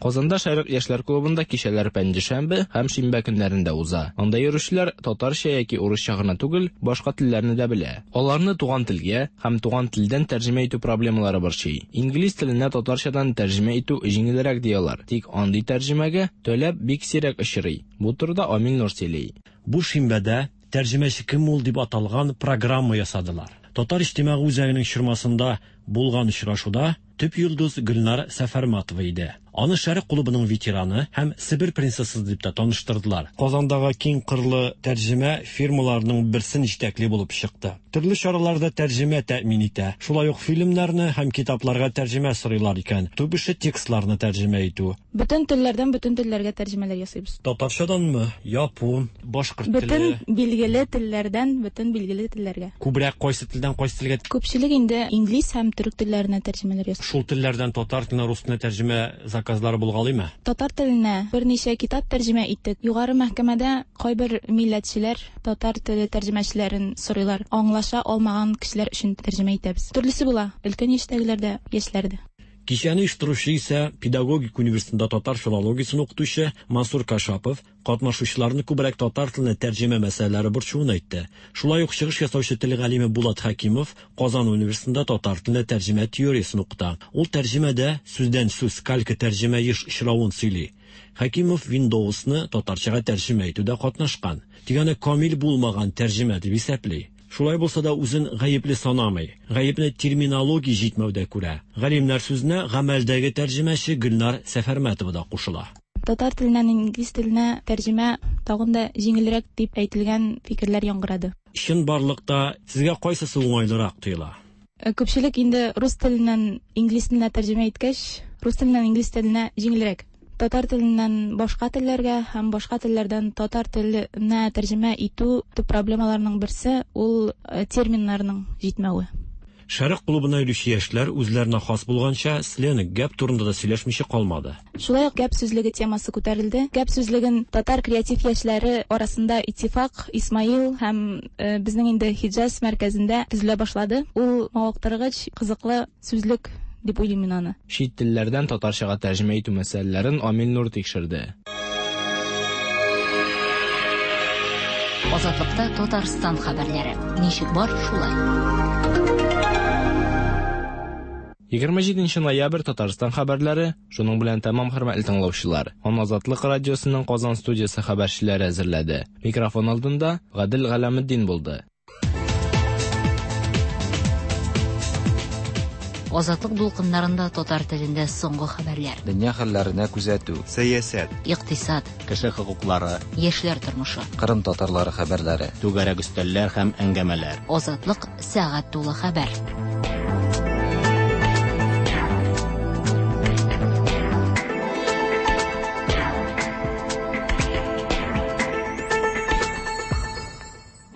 Казанда Шәрык яшьләр клубында кичәләр пәнҗешәмбе һәм шимбә көннәрендә уза. Анда йөрүчеләр татарча яки урысча гына түгел, башка телләрне дә белә. Аларны туган телгә һәм туган телдән тәрҗемә итү проблемалары борчый. Инглиз теленә татарчадан тәрҗемә итү җиңелрәк дияләр. Тик андый тәрҗемәгә таләп бик сирәк очрый. Бу турыда Амил Нур сөйли. Бу шимбәдә тәрҗемәче кем ул дип аталган программа ясадылар. Татар иҗтимагый үзәгенең чормасында булган очрашуда төп йолдыз Гөлнар Сәфәрматова иде. Аны Шәрык клубының ветераны һәм Себер принцессасы дип тә таныштырдылар. Казандагы киң кырлы тәрҗемә фирмаларының берсен җитәкли булып чыкты. Төрле чараларда тәрҗемә тәэмин итә. Шулай ук фильмнарны һәм китапларга тәрҗемә сорыйлар икән. Төп эше текстларны тәрҗемә итү. Бөтен телләрдән бөтен телләргә тәрҗемәләр ясыйбыз. Татарчаданмы? Япон, башкорт теле. Бөтен билгеле телләрдән бөтен билгеле телләргә. Күбрәк кайсы телдән кайсы телгә? Күпчелек инде инглиз һәм төрек телләренә тәрҗемәләр ясый. Шул телләрдән татар теленә, рус теленә тәрҗемә заказлары булгалыймы? Татар теленә берничә китап тәрҗемә иттек. Югары мәхкәмәдә кайбер милләтчеләр татар теле тәрҗемәчеләрен сорыйлар. Аңлаша алмаган кешеләр өчен тәрҗемә итәбез. Төрлесе була, өлкән яшьтәгеләр дә, яшьләр дә. Кичәне оештыручы исә педагогик университетында татар филологиясен укытучы Мансур Кашапов катнашучыларны күбрәк татар теленә тәрҗемә мәсьәләләре борчуын әйтте. Шулай ук чыгыш ясаучы тел галиме Булат Хәкимов Казан университетында татар теленә тәрҗемә теориясен укыта. Ул тәрҗемәдә сүздән сүз калька тәрҗемә еш очравын сөйли. Хәкимов Windows'ны татарчага тәрҗемә итүдә катнашкан. Тик аны камил булмаган тәрҗемә дип исәпли. Шулай булса да үзен гаепле санамый. Гаепне терминология җитмәүдә күрә. Галимнәр сүзенә гамәлдәге тәрҗемәче Гөлнар Сәфәрмәтова да кушыла. Татар теленнән инглиз теленә тәрҗемә тагын да җиңелрәк дип әйтелгән фикерләр яңгырады. Чынбарлыкта сезгә кайсысы уңайлырак тоела? Күпчелек инде рус теленнән инглиз теленә тәрҗемә иткәч, рус теленнән инглиз теленә җиңелрәк. Татар теленнән башка телләргә һәм башка телләрдән татар теленә тәрҗемә итү төп проблемаларның берсе ул терминнарның җитмәве. Шәрык клубына йөрүче яшьләр үзләренә хас булганча сленг гәп турында да сөйләшмичә калмады. Шулай ук гәп сүзлеге темасы күтәрелде. Гәп сүзлеген татар креатив яшьләре арасында Иттифак, Исмаил һәм э, безнең инде Хиджаз мәркәзендә төзелә башлады. Ул мавыктыргыч, кызыклы сүзлек дип уйлыйм мин аны. Чит телләрдән татарчага тәрҗемә итү мәсьәләләрен Амил Нур тикшерде. Азатлыкта Татарстан хәбәрләре. Ничек бар, шулай. Егерме җиденче ноябрь Татарстан хәбәрләре шуның белән тәмам, хөрмәтле тыңлаучылар. Аны Азатлык радиосының Казан студиясе хәбәрчеләре әзерләде. Микрофон алдында Гадел Галәметдин булды. Азатлык дулкыннарында татар телендә соңгы хәбәрләр. Дөнья хәлләренә күзәтү. Сәясәт. Икътисад. Кеше хокуклары. Яшьләр тормышы. Кырым татарлары хәбәрләре. Түгәрәк өстәлләр һәм әңгәмәләр. Азатлык сәгать тулы хәбәр.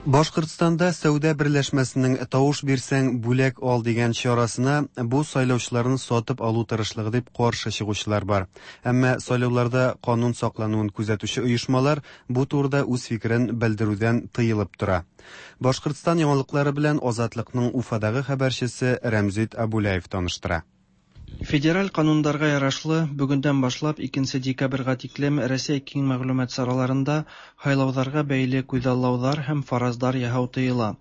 Башкортстанда сәүдә берләшмәсенең тавыш бирсәң бүләк ал дигән чарасына бу сайлаучыларны сатып алу тырышлыгы дип каршы чыгучылар бар. Әмма сайлауларда канун саклануын күзәтүче оешмалар бу турыда үз фикерен белдерүдән тыелып тора. Башкортстан яңалыклары белән Азатлыкның Уфадагы хәбәрчесе Рәмзит Абулаев таныштыра. Федераль канундарга ярашлы, бүгендән башлап икенче декабрьгә тиклем Рәсәй киң мәгълүмат чараларында һайлауҙарға бәйле күҙаллауҙар һәм фараздар яһау тыйыла.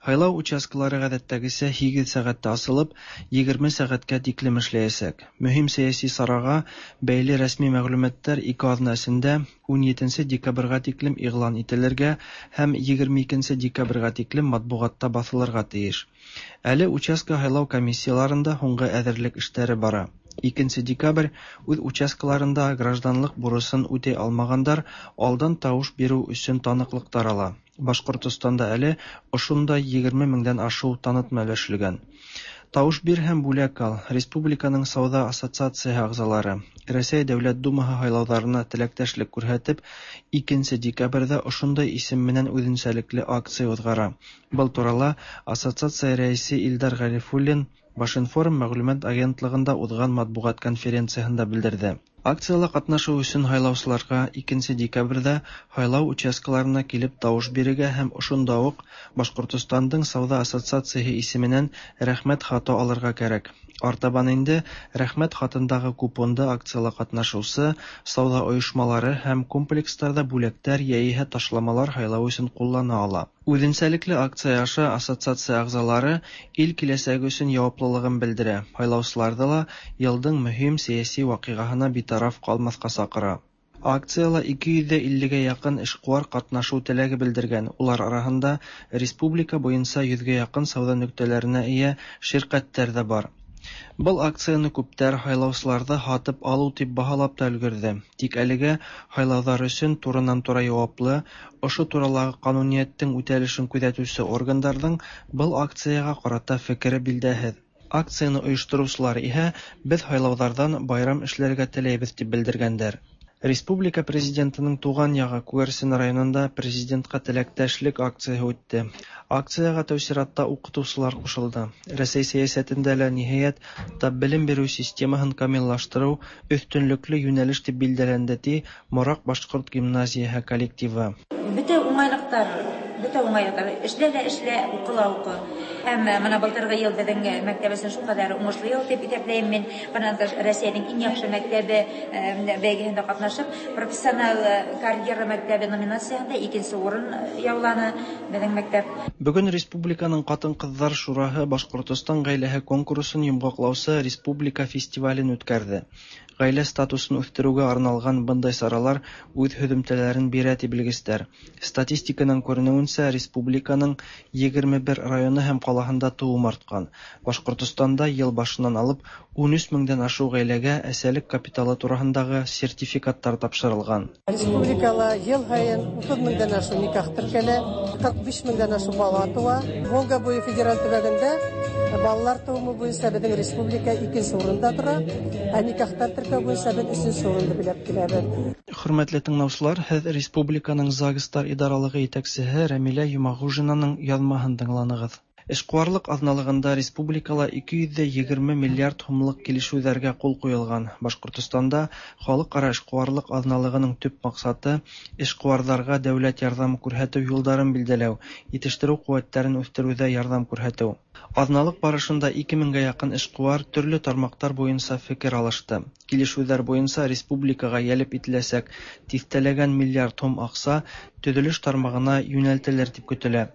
Һайлау участкалары ғәҙәттәгесә һигеҙ сәғәттә асылып, егерме сәғәткә тиклем эшләйәсәк. Мөһим сәйәси сараға бәйле рәсми мәгълүматтар ике аҙна эсендә ун етенсе декабрьгә тиклем иғлан ителергә һәм егерме икенсе декабрьгә тиклем матбуғатта баҫылырға тейеш. Әле участка һайлау комиссияларында һуңғы әҙерлек эштәре бара. Икенсе декабрь үҙ участкаларында гражданлыҡ бурысын үтәй алмағандар алдан тауыш биреү өсөн таныҡлыҡтар ала. Башҡортостанда әле ошондай егерме меңдән ашыу танытма өләшелгән. Тауыш бир һәм бүләк ал. Республиканың сауҙа ассоциацияһы ағзалары Рәсәй Дәүләт Думаһы һайлауҙарына теләктәшлек күрһәтеп, икенсе декабрҙә ошондай исем менән үҙенсәлекле акция уҙғара. Был турала ассоциация рәйесе Илдар Ғәрифуллин Башинформ мәғлүмәт агентлығында уҙған матбуғат конференцияһында белдерҙе. Акцияла ҡатнашыу өсөн һайлаусыларға икенсе декабрҙә һайлау участкаларына килеп тауыш бирергә һәм ошонда уҡ Башҡортостандың сауҙа ассоциацияһы исеменән рәхмәт хаты алырға кәрәк. Артабан инде рәхмәт хатындағы купонды акцияла ҡатнашыусы сауҙа ойошмалары һәм комплекстарҙа бүләктәр йәиһә ташламалар һайлау өсөн ҡуллана ала. Үҙенсәлекле акция аша ассоциация ағзалары ил киләсәге өсөн яуаплылығын белдерә. Һайлаусыларҙы ла йылдың мөһим сәйәси ваҡиғаһына битараф ҡалмаҫҡа саҡыра. Акцияла ике йөҙ иллегә яҡын эшҡыуар ҡатнашыу теләге белдергән. Улар араһында республика буйынса йөҙгә яҡын сауҙа нөктәләренә эйә ширҡәттәр ҙә бар. Был акцияны күптәр һайлаусыларҙы һатып алыу тип баһалап та өлгөрҙө. Тик әлегә һайлауҙар өсөн туранан-тура яуаплы, ошо туралағы ҡануниәттең үтәлешен күҙәтеүсе органдарҙың был акцияға ҡарата фекере билдәһеҙ. Акцияны ойоштороусылар иһә беҙ һайлауҙарҙан байрам эшләргә теләйбеҙ тип белдергәндәр. Республика президентының туған яғы Күгәрсен районында президентҡа теләктәшлек акцияһы үтте. Акцияға тәү сиратта уҡытыусылар ҡушылды. Рәсәй сәйәсәтендә лә ниһайәт тап белем биреү системаһын камиллаштырыу өҫтөнлөклө йүнәлеш тип билдәләнде, ти Мораҡ башҡорт гимназияһы коллективы. Бөтә уңайлыҡтар, бөтә уңайлыҡтар. Эшлә лә эшлә, уҡы ла уҡы. Һәм мына былтырғы йыл беҙҙең мәктәп өсөн шул ҡәҙәр уңышлы йыл тип иҫәпләйем мин. Бынан тыш Рәсәйҙең иң яҡшы мәктәбе бәйгеһендә ҡатнашып, профессионал карьера мәктәбе номинацияһында икенсе урын яуланы беҙҙең мәктәп. Бөгөн республиканың ҡатын-ҡыҙҙар шураһы Башҡортостан ғаиләһе конкурсын йомғаҡлаусы республика фестивален үткәрҙе. Ғаилә статусын үҫтереүгә арналған бындай саралар үҙ һөҙөмтәләрен бирә ти белгестәр. Статистиканан күренеүенсә, республиканың егерме бер районы һәм ҡалаһында тыуым артҡан. Башҡортостанда йыл башынан алып ун өс меңдән ашыу ғаиләгә әсәлек капиталы тураһындағы сертификаттар тапшырылған. Республикала йыл һайын утыҙ меңдән ашыу никах теркәлә, ҡырҡ биш меңдән ашыу бала тыуа. Волга буйы федераль төбәгендә балалар тыуымы буйынса беҙҙең республика икенсе урында тора, ә никахтар теркәү буйынса беҙ өсөнсө урынды биләп киләбеҙ. Хөрмәтле тыңлаусылар, һеҙ республиканың ЗАГСтар идаралығы етәксеһе Рәмилә Йомағужинаның яҙмаһын тыңланығыҙ. Эшкуарлык аҙналығында республикала ике йөҙ ҙә егерме миллиард һумлыҡ килешеүҙәргә ҡул ҡуйылған. Башҡортостанда халыҡ-ара эшҡыуарлыҡ аҙналығының төп маҡсаты эшҡыуарҙарға дәүләт ярҙамы күрһәтеү юлдарын билдәләү, етештереү ҡеүәттәрен үҫтереүҙә ярҙам күрһәтеү. Аҙналыҡ барышында ике меңгә яҡын эшҡыуар төрлө тармаҡтар буйынса фекер алышты. Килешеүҙәр буйынса республикаға йәлеп ителәсәк тиҫтәләгән миллиард һум аҡса төҙөлөш тармағына йүнәлтелер тип көтөлә.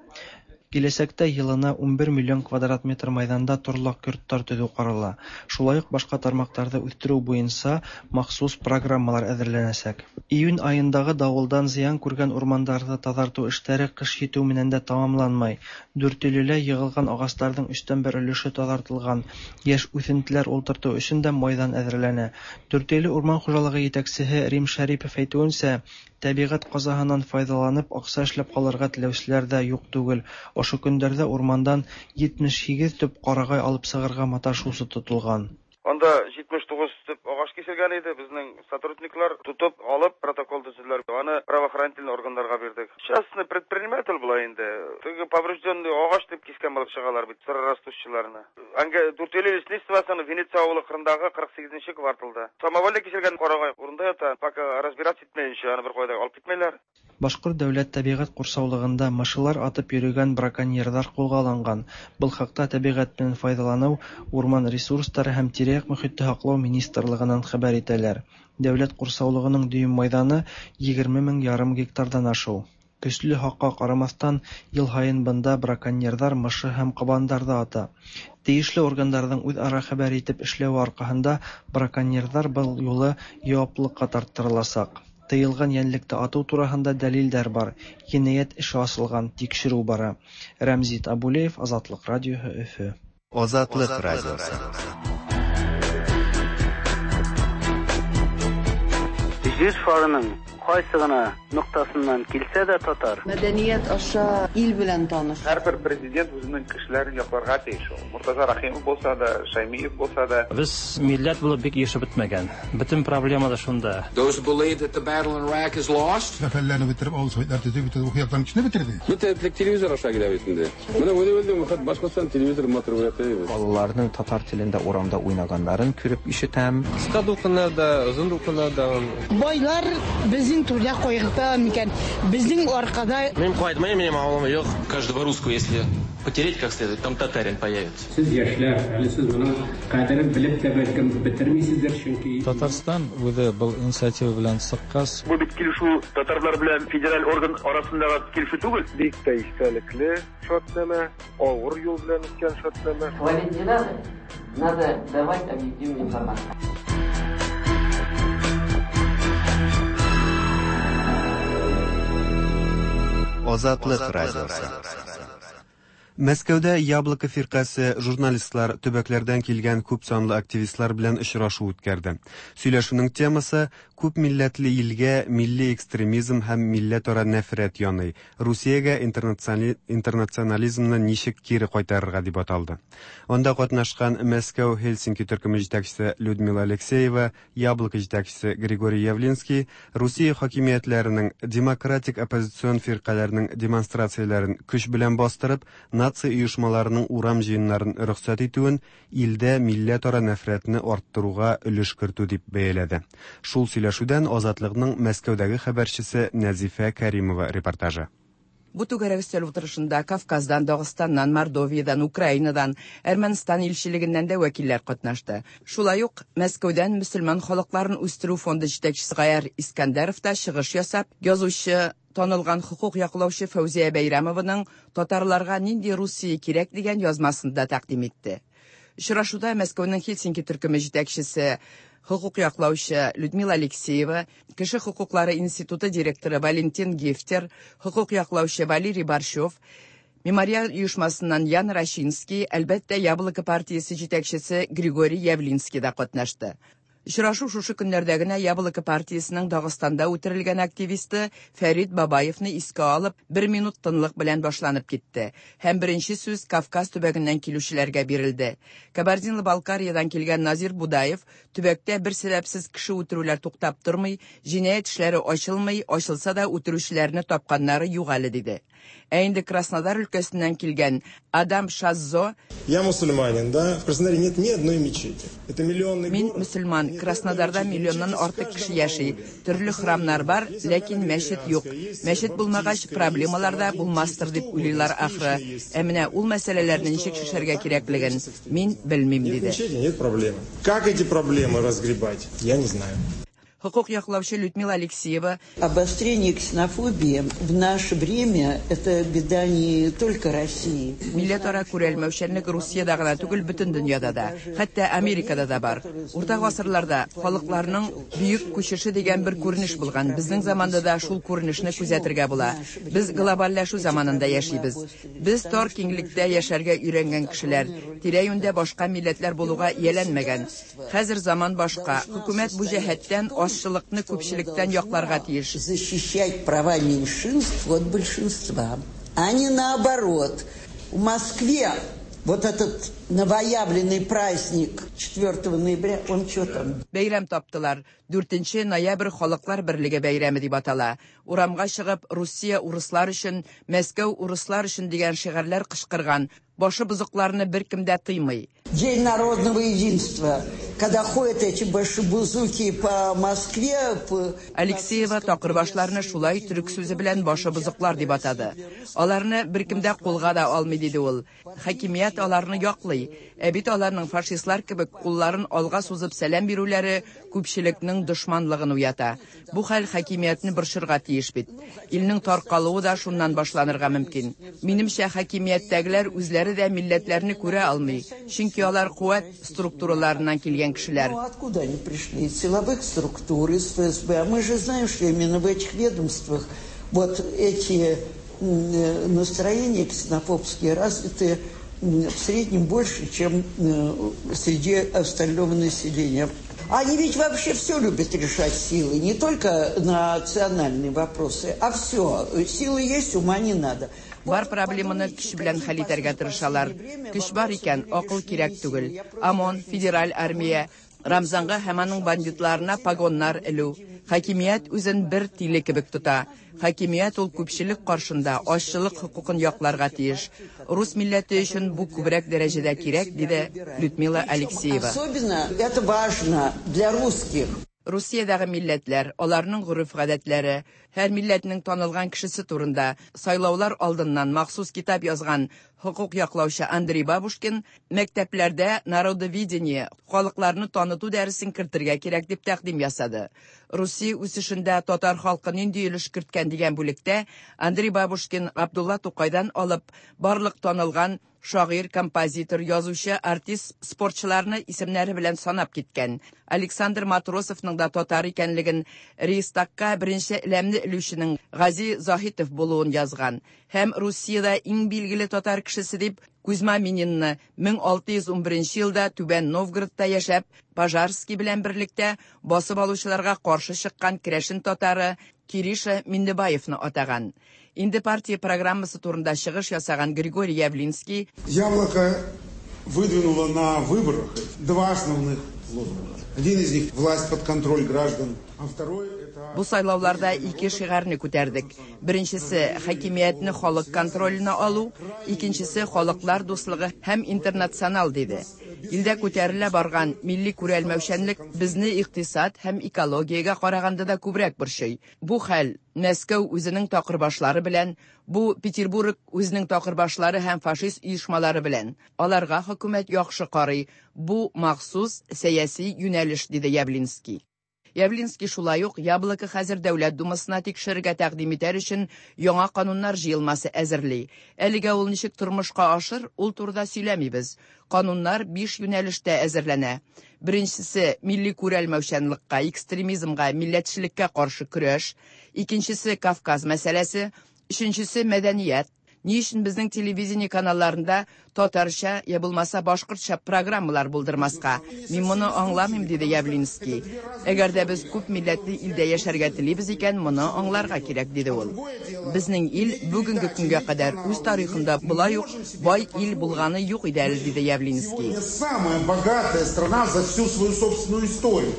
Киләсәктә йылына ун бер миллион квадрат метр майҙанда торлаҡ йорттар төҙөү ҡарала. Шулай уҡ башҡа тармаҡтарҙы үҫтереү буйынса махсус программалар әҙерләнәсәк. Июнь айындағы дауылдан зыян күргән урмандарҙы таҙартыу эштәре ҡыш етеү менән дә тамамланмай. Дүртөйлөлә йығылған ағастарҙың өстән бер өлөшө таҙартылған. Йәш үҫентеләр ултыртыу өсөн дә майҙан әҙерләнә. Дүртөйлө урман хужалығы етәксеһе Рим Шәрипов әйтеүенсә, тәбиғәт ҡазаһынан файҙаланып аҡса эшләп ҡалырға теләүселәр ҙә юҡ түгел. Ошо көндәрҙә урмандан етмеш һигеҙ төп ҡарағай алып сығырға маташыусы тотолған. Анда етмеш туғыҙ төп ағас киселгән иде. Беҙҙең сотрудниклар тотоп алып протокол төҙөделәр. Аны правоохранительный органдарға бирҙек. Частный предприниматель була инде. Теге поврежденный ағас тип кискән булып сығалар бит сыррастущыларны. Аңга Дүртөйлө лесничествосының Венеция ауылы ҡырындағы ҡырҡ һигеҙенсе кварталда. Самовольно киселгән ҡарағай урында ята. Пока разбираться итмәйенсә аны бер ҡайҙа алып китмәйләр. Башҡорт дәүләт тәбиғәт ҡурсаулығында мышылар атып йөрөгән браконьерҙар ҡулға алынған. Был хаҡта тәбиғәт менән файҙаланыу, урман ресурстары һәм тирә-яҡ мөхитте һаҡлау министрлығынан хәбәр итәләр. Дәүләт ҡурсаулығының дөйөм майҙаны егерме мең ярым гектарҙан ашыу. Көслө һаҡҡа ҡарамаҫтан, йыл һайын бында браконьерҙар мышы һәм ҡабандарҙы ата. Тейешле органдарҙың үҙ-ара хәбәр итеп эшләүе арҡаһында браконьерҙар был юлы яуаплылыҡҡа тарттырыласаҡ. Тыйылған йәнлекте атыу тураһында дәлилдәр бар. Енәйәт эше асылған, тикшереү бара. Рәмзит Абулеев, Азатлыҡ радиоһы, Өфө. Азатлыҡ радиоһы. Җир шарының кайсы гына ноктасыннан килсә дә татар. Мәдәният аша ил белән таныш. Һәрбер президент үзенең кешеләрен якларга тиеш. Муртаза Рахимов булса да, Шаймиев булса да. Без милләт булып бик ешеп бетмәгән. Бөтен проблема да шунда. Those who believe that the battle in Iraq is lost. Зафәрләрне бетереп, авыл советлар төзеп бетерде, уку яктан кешене бетерде. Бөтә телевизор аша килә бит инде. Менә үзе үзе Башкортстан телевизор матур күрәтә. Балаларның татар телендә урамда уйнаганнарын күреп ишетәм. Кыска дулкыннарда, озын дулкыннарда. Байлар безнең түрдә кайгырта микән? Безнең аркада. Мин кайтмыйм, минем авылым юк. Каждого русского, если потереть как следует, там татарин появится. Сез яшьләр, әле сез моның кадерен белеп тә бәлкем бетермисездер, чөнки Татарстан үзе был инициатива белән чыккач, бу бит килешү татарлар белән федераль орган арасындагы килешү түгел. Бик тә истәлекле шартнамә, авыр юл белән үткән шартнамә. Хвалить не надо, надо давать объективную информацию. Азатлык радиосы. Мәскәүдә Яблоко фирҡәсе журналистлар, төбәкләрдән килгән күп санлы активистлар белән очрашу үткәрде. Сөйләшүнең темасы күп милләтле илгә милли экстремизм һәм милләтара нәфрәт яный. Русиягә интернационализмны ничек кире кайтарырга дип аталды. Анда катнашкан Мәскәү Хельсинки төркеме җитәкчесе Людмила Алексеева, Яблоко җитәкчесе Григорий Явлинский Русия хакимиятләренең демократик оппозицион фирҡәләренең демонстрацияләрен көч белән бастырып, нация оешмаларының урам җыеннарын рөхсәт итүен илдә милләтара нәфрәтне арттыруга өлеш кертү дип бәяләде. Шул сөйләшүдән Азатлыкның Мәскәүдәге хәбәрчесе Нәзифә Кәримова репортажы. Бу түгәрәк өстәл утырышында Кавказдан, Дагыстаннан, Мордовиядан, Украинадан, Әрмәнстан илчелегеннән дә вәкилләр катнашты. Шулай ук Мәскәүдән мөселман халыкларын үстерү фонды җитәкчесе Гаяр Искәндәров та чыгыш ясап, язучы, танылган хукук яклаучы Фәүзия Бәйрәмованың «Татарларга нинди Русия кирәк» дигән язмасын да тәкъдим итте. Очрашуда Мәскәүнең Хельсинки төркеме җитәкчесе хукук яклаучы Людмила Алексеева, Кеше хукуклары институты директоры Валентин Гефтер, хукук яклаучы Валерий Борщев, Мемориал оешмасыннан Ян Рощинский, әлбәттә, Яблоко партиясе җитәкчесе Григорий Явлинский да катнашты. Очрашу шушы көннәрдә генә Яблоко партиясенең Дагыстанда үтерелгән активисты Фәрит Бабаевны искә алып, бер минут тынлык белән башланып китте. Һәм беренче сүз Кавказ төбәгеннән килүчеләргә бирелде. Кабардино-Балкариядан килгән Назир Будаев төбәктә бер сәбәпсез кеше үтерүләр туктап тормый, җинаять эшләре ачылмый, ачылса да үтерүчеләрне тапканнары юк әле диде. Ә инде Краснодар өлкәсеннән килгән Адам Шаззо: Я мусульманин, да? В Краснодаре нет ни одной мечети. Это миллионный Мин город. Мөселман, Краснодарда миллионнан артык кеше яши. Төрле храмнар бар, ләкин мәчет юк. Мәчет булмагач, проблемалар да булмастыр дип уйлыйлар ахры. Ә менә ул мәсьәләләрне ничек чишәргә кирәклеген мин белмим, Нет диде. Мечети, нет проблемы. Как эти проблемы разгребать, я не знаю. Хокук яклаучы Людмила Алексеева: Обострение ксенофобии в наше время – это беда не только России. Милләтара күрәлмәүчәнлек Русиядә генә түгел, бөтен дөньяда да, хәтта Америкада да бар. Урта гасырларда халыкларның бөек күчеше дигән бер күренеш булган. Безнең заманда да шул күренешне күзәтергә була. Без глобальләшү заманында яшибез. Без тар киңлектә яшәргә өйрәнгән кешеләр, тирә-юньдә башка милләтләр булуга ияләнмәгән. Хәзер заман башка. Хөкүмәт бу җәһәттән азчылыкны күпчелектән якларга тиеш. Защищать права меньшинств от большинства, а не наоборот. В Москве вот этот новоявленный праздник четвертого ноября, он что там? Бәйрәм таптылар. дүртенче ноябрь Халыклар берлеге бәйрәме дип атала. Урамга чыгып, Русия урыслар өчен, Мәскәү урыслар өчен дигән шигарьләр кычкырган. Башы бозыкларны беркем дә тыймый. День народного единства, когда ходят эти башибузуки по Москве, по... Алексеева такырбашларны шулай төрек сүзе белән башы бозыклар дип атады. Аларны беркем дә кулга да алмый, диде ул. Хакимият аларны яклый. Ә бит аларның фашистлар кебек кулларын алга сузып сәлам бирүләре күпчелекнең дошманлыгын уята. Бу хәл хакимиятне борчырга тиеш бит. Илнең таркалуы да шуннан башланырга мөмкин. Минемчә, хакимияттәгеләр үзләре дә милләтләрне күрә алмый. Чөнки алар куәт структураларыннан килгән кешеләр. Ну, откуда они пришли? Из силовых структур, из эф эс бэ. А мы же знаем, что именно в этих ведомствах вот эти м, настроения ксенофобские развиты м, в среднем больше, чем э, среди остального населения. Они ведь вообще все любят решать силой, не только национальные вопросы, а все. Силы есть, ума не надо. Бар проблеманы көч белән хәл итәргә тырышалар. Көч бар икән, акыл кирәк түгел. ОМОН, федераль армия, Рамзанга һәм аның бандитларына погоннар элү. Хакимият үзен бер тиле кебек тота. Хакимият ул күпчелек каршында азчылык хокукын якларга тиеш. Рус милләте өчен бу күбрәк дәрәҗәдә кирәк, диде Людмила Алексеева. Особенно это важно для русских. Русиядәге милләтләр, аларның гореф-гадәтләре, һәр милләтнең танылган кешесе турында сайлаулар алдыннан махсус китап язган хокук яклаучы Андрей Бабушкин мәктәпләрдә народоведение, халыкларны таныту дәресен кертергә кирәк дип тәкъдим ясады. Русия үсешендә татар халкы нинди өлеш керткән дигән бүлектә Андрей Бабушкин Габдулла Тукайдан алып барлык танылган шагыйрь, композитор, язучы, артист, спортчыларны исемнәре белән санап киткән. Александр Матросовның да татар икәнлеген, Рейхстагка беренче әләмне элүченең Гази Заһитов булуын язган. Һәм Русиядә иң билгеле татар кешесе дип Кузьма Мининны мең алты йөз унберенче елда Түбән Новгородта яшәп, Пожарский белән берлектә басып алучыларга каршы чыккан керәшен татары Кириша Миннебаевны атаган. Инде партия программасы турында чыгыш ясаган Григорий Явлинский: Яблоко выдвинуло на выборах два основных лозунга. Один из них – власть под контроль граждан, а второй – это... Бу сайлауларда ике шигарне күтәрдек. Беренчесе хакимиятне халык контроленә алу, икенчесе халыклар дуслыгы һәм интернационал, диде. Илдә күтәрелә барган милли күрәлмәүчәнлек безне икътисад һәм экологиягә караганда да күбрәк борчый. Бу хәл Мәскәү үзенең такырбашлары белән, бу Петербург үзенең такырбашлары һәм фашист оешмалары белән. Аларга хөкүмәт яхшы карый. Бу махсус сәяси юнәлеш, диде Явлинский. Явлинский шулай ук Яблоко хәзер Дәүләт Думасына тикшерергә тәкъдим итәр өчен яңа кануннар җыелмасы әзерли. Әлегә ул ничек тормышка ашыр, ул турыда сөйләмибез. Кануннар биш юнәлештә әзерләнә. Беренчесе милли күрәлмәүчәнлеккә, экстремизмга, милләтчелеккә каршы көрәш, икенчесе Кавказ мәсьәләсе, өченчесе мәдәният. Ни өчен безнең телевидение каналларында татарча я булмаса башкортча программалар булдырмаска? Мин моны аңламыйм, диде Явлинский. Әгәр дә без күп милләтле илдә яшәргә телибез икән, моны аңларга кирәк, диде ул. Безнең ил бүгенге көнгә кадәр үз тарихында болай ук бай ил булганы юк иде әле, диде Явлинский. Сегодня самая богатая страна за всю свою собственную историю.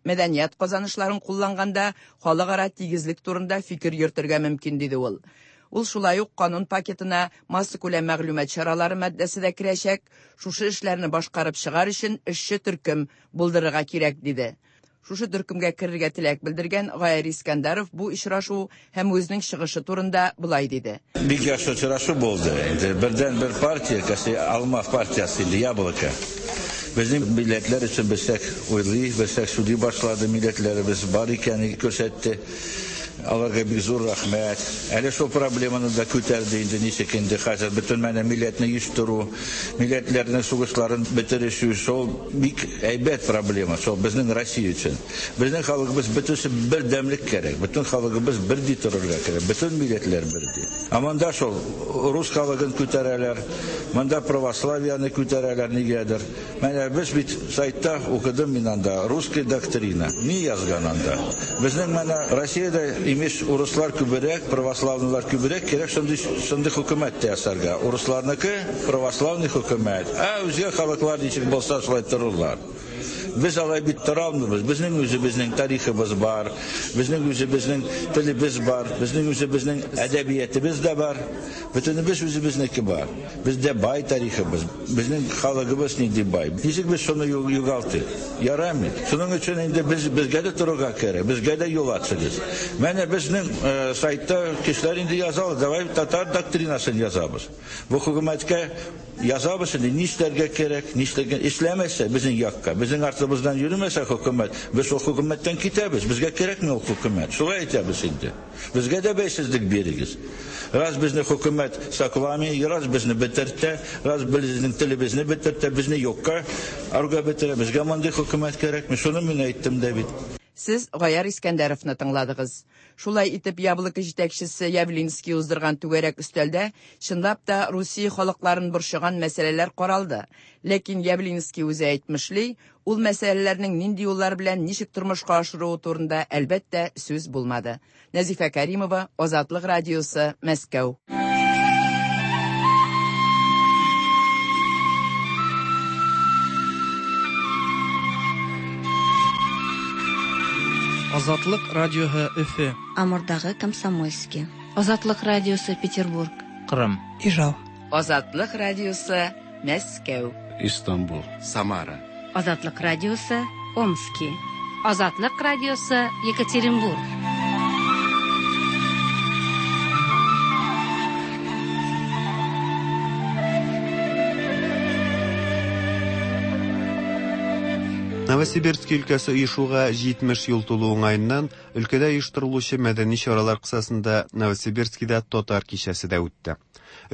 Мәдәният казанышларын кулланганда халыкара тигезлек турында фикер йөртергә мөмкин, диде ул. Ул шулай ук канун пакетына массакүләм мәгълүмат чаралары маддәсе дә керәчәк, шушы эшләрне башкарып чыгар өчен эшче төркем булдырырга кирәк, диде. Шушы төркемгә керергә теләк белдергән Гаяр Искәндәров бу очрашу һәм үзенең чыгышы турында болай диде. Бик яхшы очрашу булды. Инде бердән бер партия, кеше Алма партиясе инде Яблоко. Безнең милләтләр өчен берсәк уйлый, берсәк сөйли башлады, милләтләребез бар икәнен күрсәтте. Аларга бик зур рәхмәт. Әле шул проблеманы да күтәрде инде, ничек инде хәзер бөтен менә милләтне оештыру, милләтләрнең сугышларын бетерешү, шул бик әйбәт проблема, шул безнең Россия өчен. Безнең халкыбыз бөтенесе бердәмлек кирәк, бөтен халкыбыз бердәй торырга кирәк, бөтен милләтләр бердәй. Ә монда шул рус халкын күтәрәләр, монда православияне күтәрәләр нигәдер. Менә без бит сайтта укыдым мин анда, русская доктрина. Ни язган анда? Безнең менә Россиядә имеш урыслар күбрәк, православныйлар күбрәк, кирәк шундый шундый хөкүмәт тә ясарга. Урысларныкы православный хөкүмәт. Ә үзгә халыклар ничек булса шулай торырлар. Без алай бит тора алмыйбыз. Безнең үзебезнең тарихыбыз бар, безнең үзебезнең телебез бар, безнең үзебезнең әдәбиятыбыз да бар. Бөтенебез үзебезнеке бар. Бездә бай тарихыбыз, безнең халыгыбыз нинди бай. Ничек без шуны югалтыйк? Ярамый. Шуның өчен инде без безгә дә торырга кирәк, безгә дә юл ачыгыз. Менә безнең сайтта кешеләр инде язалар, давай татар доктринасын язабыз. Бу хөкүмәткә язабыз инде нишләргә кирәк, нишләргә эшләмәсә безнең якка, безнең артыбыздан йөрмәсә хөкүмәт, без шул хөкүмәттән китәбез, безгә кирәкми ул хөкүмәт. Шулай әйтәбез инде. Безгә дә бәйсезлек бирегез. Раз безне хөкүмәт сакламый, раз безне бетертә, раз безнең телебезне бетертә, безне юкка арга бетерә. Безгә мондый хөкүмәт кирәкми. Шуны мин әйттем дә бит. Сез Гаяр Искәндәровны тыңладыгыз. Шулай итеп Яблоко җитәкчесе Явлинский уздырган түгәрәк өстәлдә чынлап та Русия халыкларын борчыган мәсьәләләр каралды. Ләкин Явлинский үзе әйтмешли, ул мәсьәләләрнең нинди юллар белән ничек тормышка ашыруы турында әлбәттә сүз булмады. Нәзифә Каримова, Азатлык радиосы, Мәскәү. Азатлык радиосы Өфе. Амурдагы Комсомольский. Азатлык радиосы Петербург. Кырым. Ижау. Азатлык радиосы Мәскәү. Истанбул. Самара. Азатлык радиосы Омски. Азатлык радиосы Екатеринбург. Новосибирский өлкәсе оешуга җитмеш ел тулу уңаеннан өлкәдә оештырылучы мәдәни чаралар кысасында Новосибирскида татар кичәсе дә үтте.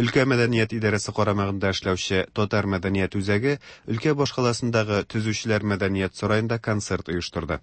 Өлкә мәдәният идарәсе карамагында эшләүче Татар мәдәният үзәге өлкә башкаласындагы Төзүчеләр мәдәният сараенда концерт оештырды.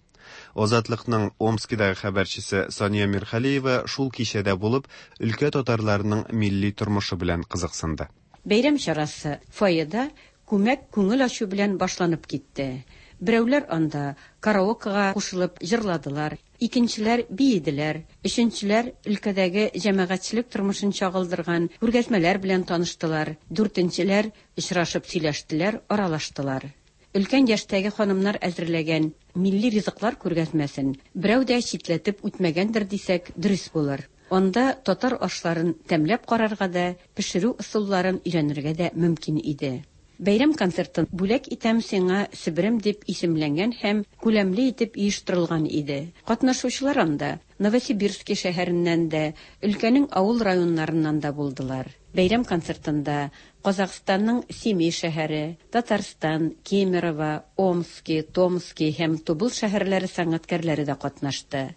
Азатлыкның Омскидагы хәбәрчесе Сания Мирхалиева шул кичәдә булып, өлкә татарларының милли тормышы белән кызыксынды. Бәйрәм чарасы фойеда күмәк күңел ачу белән башланып китте. Берәүләр анда караокега кушылып җырладылар, икенчеләр биеделәр, өченчеләр өлкәдәге җәмәгатьчелек тормышын чагылдырган күргәзмәләр белән таныштылар, дүртенчеләр очрашып сөйләштеләр, аралаштылар. Өлкән яшьтәге ханымнар әзерләгән милли ризыклар күргәзмәсен берәү дә читләтеп үтмәгәндер дисәк, дөрес булыр. Анда татар ашларын тәмләп карарга да, пешерү ысулларын өйрәнергә дә мөмкин иде. Бәйрәм концертын бүләк итәм сиңа Себерем дип исемләнгән һәм күләмле итеп оештырылган иде. Катнашучылар анда Новосибирский шәһәреннән дә, өлкәнең авыл районнарыннан да булдылар. Бәйрәм концертында Казахстанның Семей шәһәре, Татарстан, Кемерово, Омски, Томски һәм Тубыл шәһәрләре сәнгатькәрләре дә катнашты.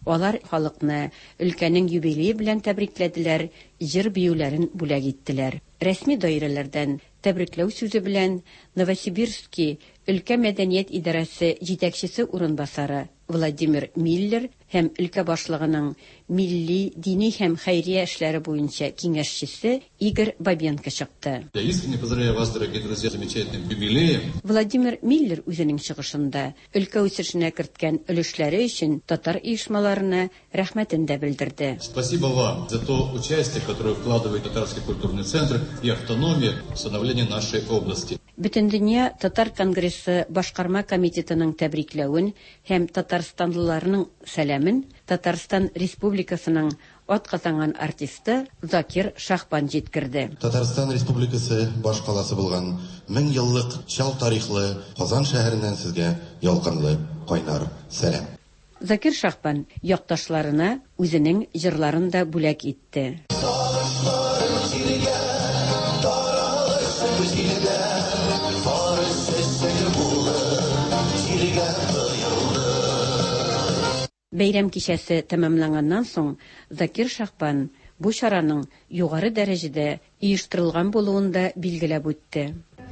Алар халыкны өлкәнең юбилее белән тәбрикләделәр, җыр биюләрен бүләк иттеләр. Рәсми даирәләрдән тәбрикләү сүзе белән Новосибирский өлкә мәдәният идарәсе җитәкчесе урынбасары Владимир Миллер һәм өлкә башлыгының милли, дини һәм хәйрия эшләре буенча киңәшчесе Игорь Бабенко чыкты. Я искренне поздравляю вас, дорогие друзья, с замечательным юбилеем. Владимир Миллер үзенең чыгышында өлкә үсешенә керткән өлешләре өчен татар оешмаларына рәхмәтен дә белдерде. Спасибо вам за то участие, которое вкладывает Татарский культурный центр и автономия в становление нашей области. Бөтендөнья Татар конгрессы башкарма комитетының тәбрикләвен һәм татарстанлыларның сәламен Татарстан Республикасының атказанган артисты Закир Шахбан җиткерде. Татарстан Республикасы башкаласы булган мең еллык чал тарихлы Казан шәһәреннән сезгә ялкынлы кайнар сәлам. Закир Шахбан якташларына үзенең җырларын да бүләк итте. Бәйрәм кичәсе тәмамланганнан соң Закир Шахбан бу чараның югары дәрәҗәдә оештырылган булуын да билгеләп үтте.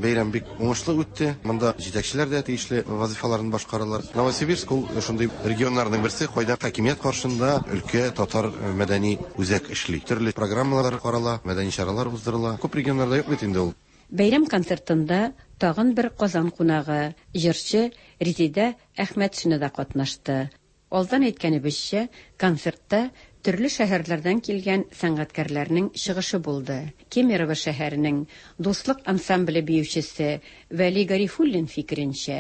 Бәйрәм бик уңышлы үтте. Монда җитәкчеләр дә тиешле вазифаларын башкаралар. Новосибирск ул шундый регионнарның берсе, кайда хакимият каршында өлкә татар мәдәни үзәк эшли. Төрле программалар карала, мәдәни чаралар уздырыла. Күп регионнарда юк бит инде ул. Бәйрәм концертында тагын бер Казан кунагы, җырчы Резидә Әхмәтшина да катнашты. Алдан әйткәнебезчә, концертта төрле шәһәрләрдән килгән сәнгатькәрләрнең чыгышы булды. Кемерово шәһәренең Дуслык ансамбле биючесе Вәли Гарифуллин фикеренчә,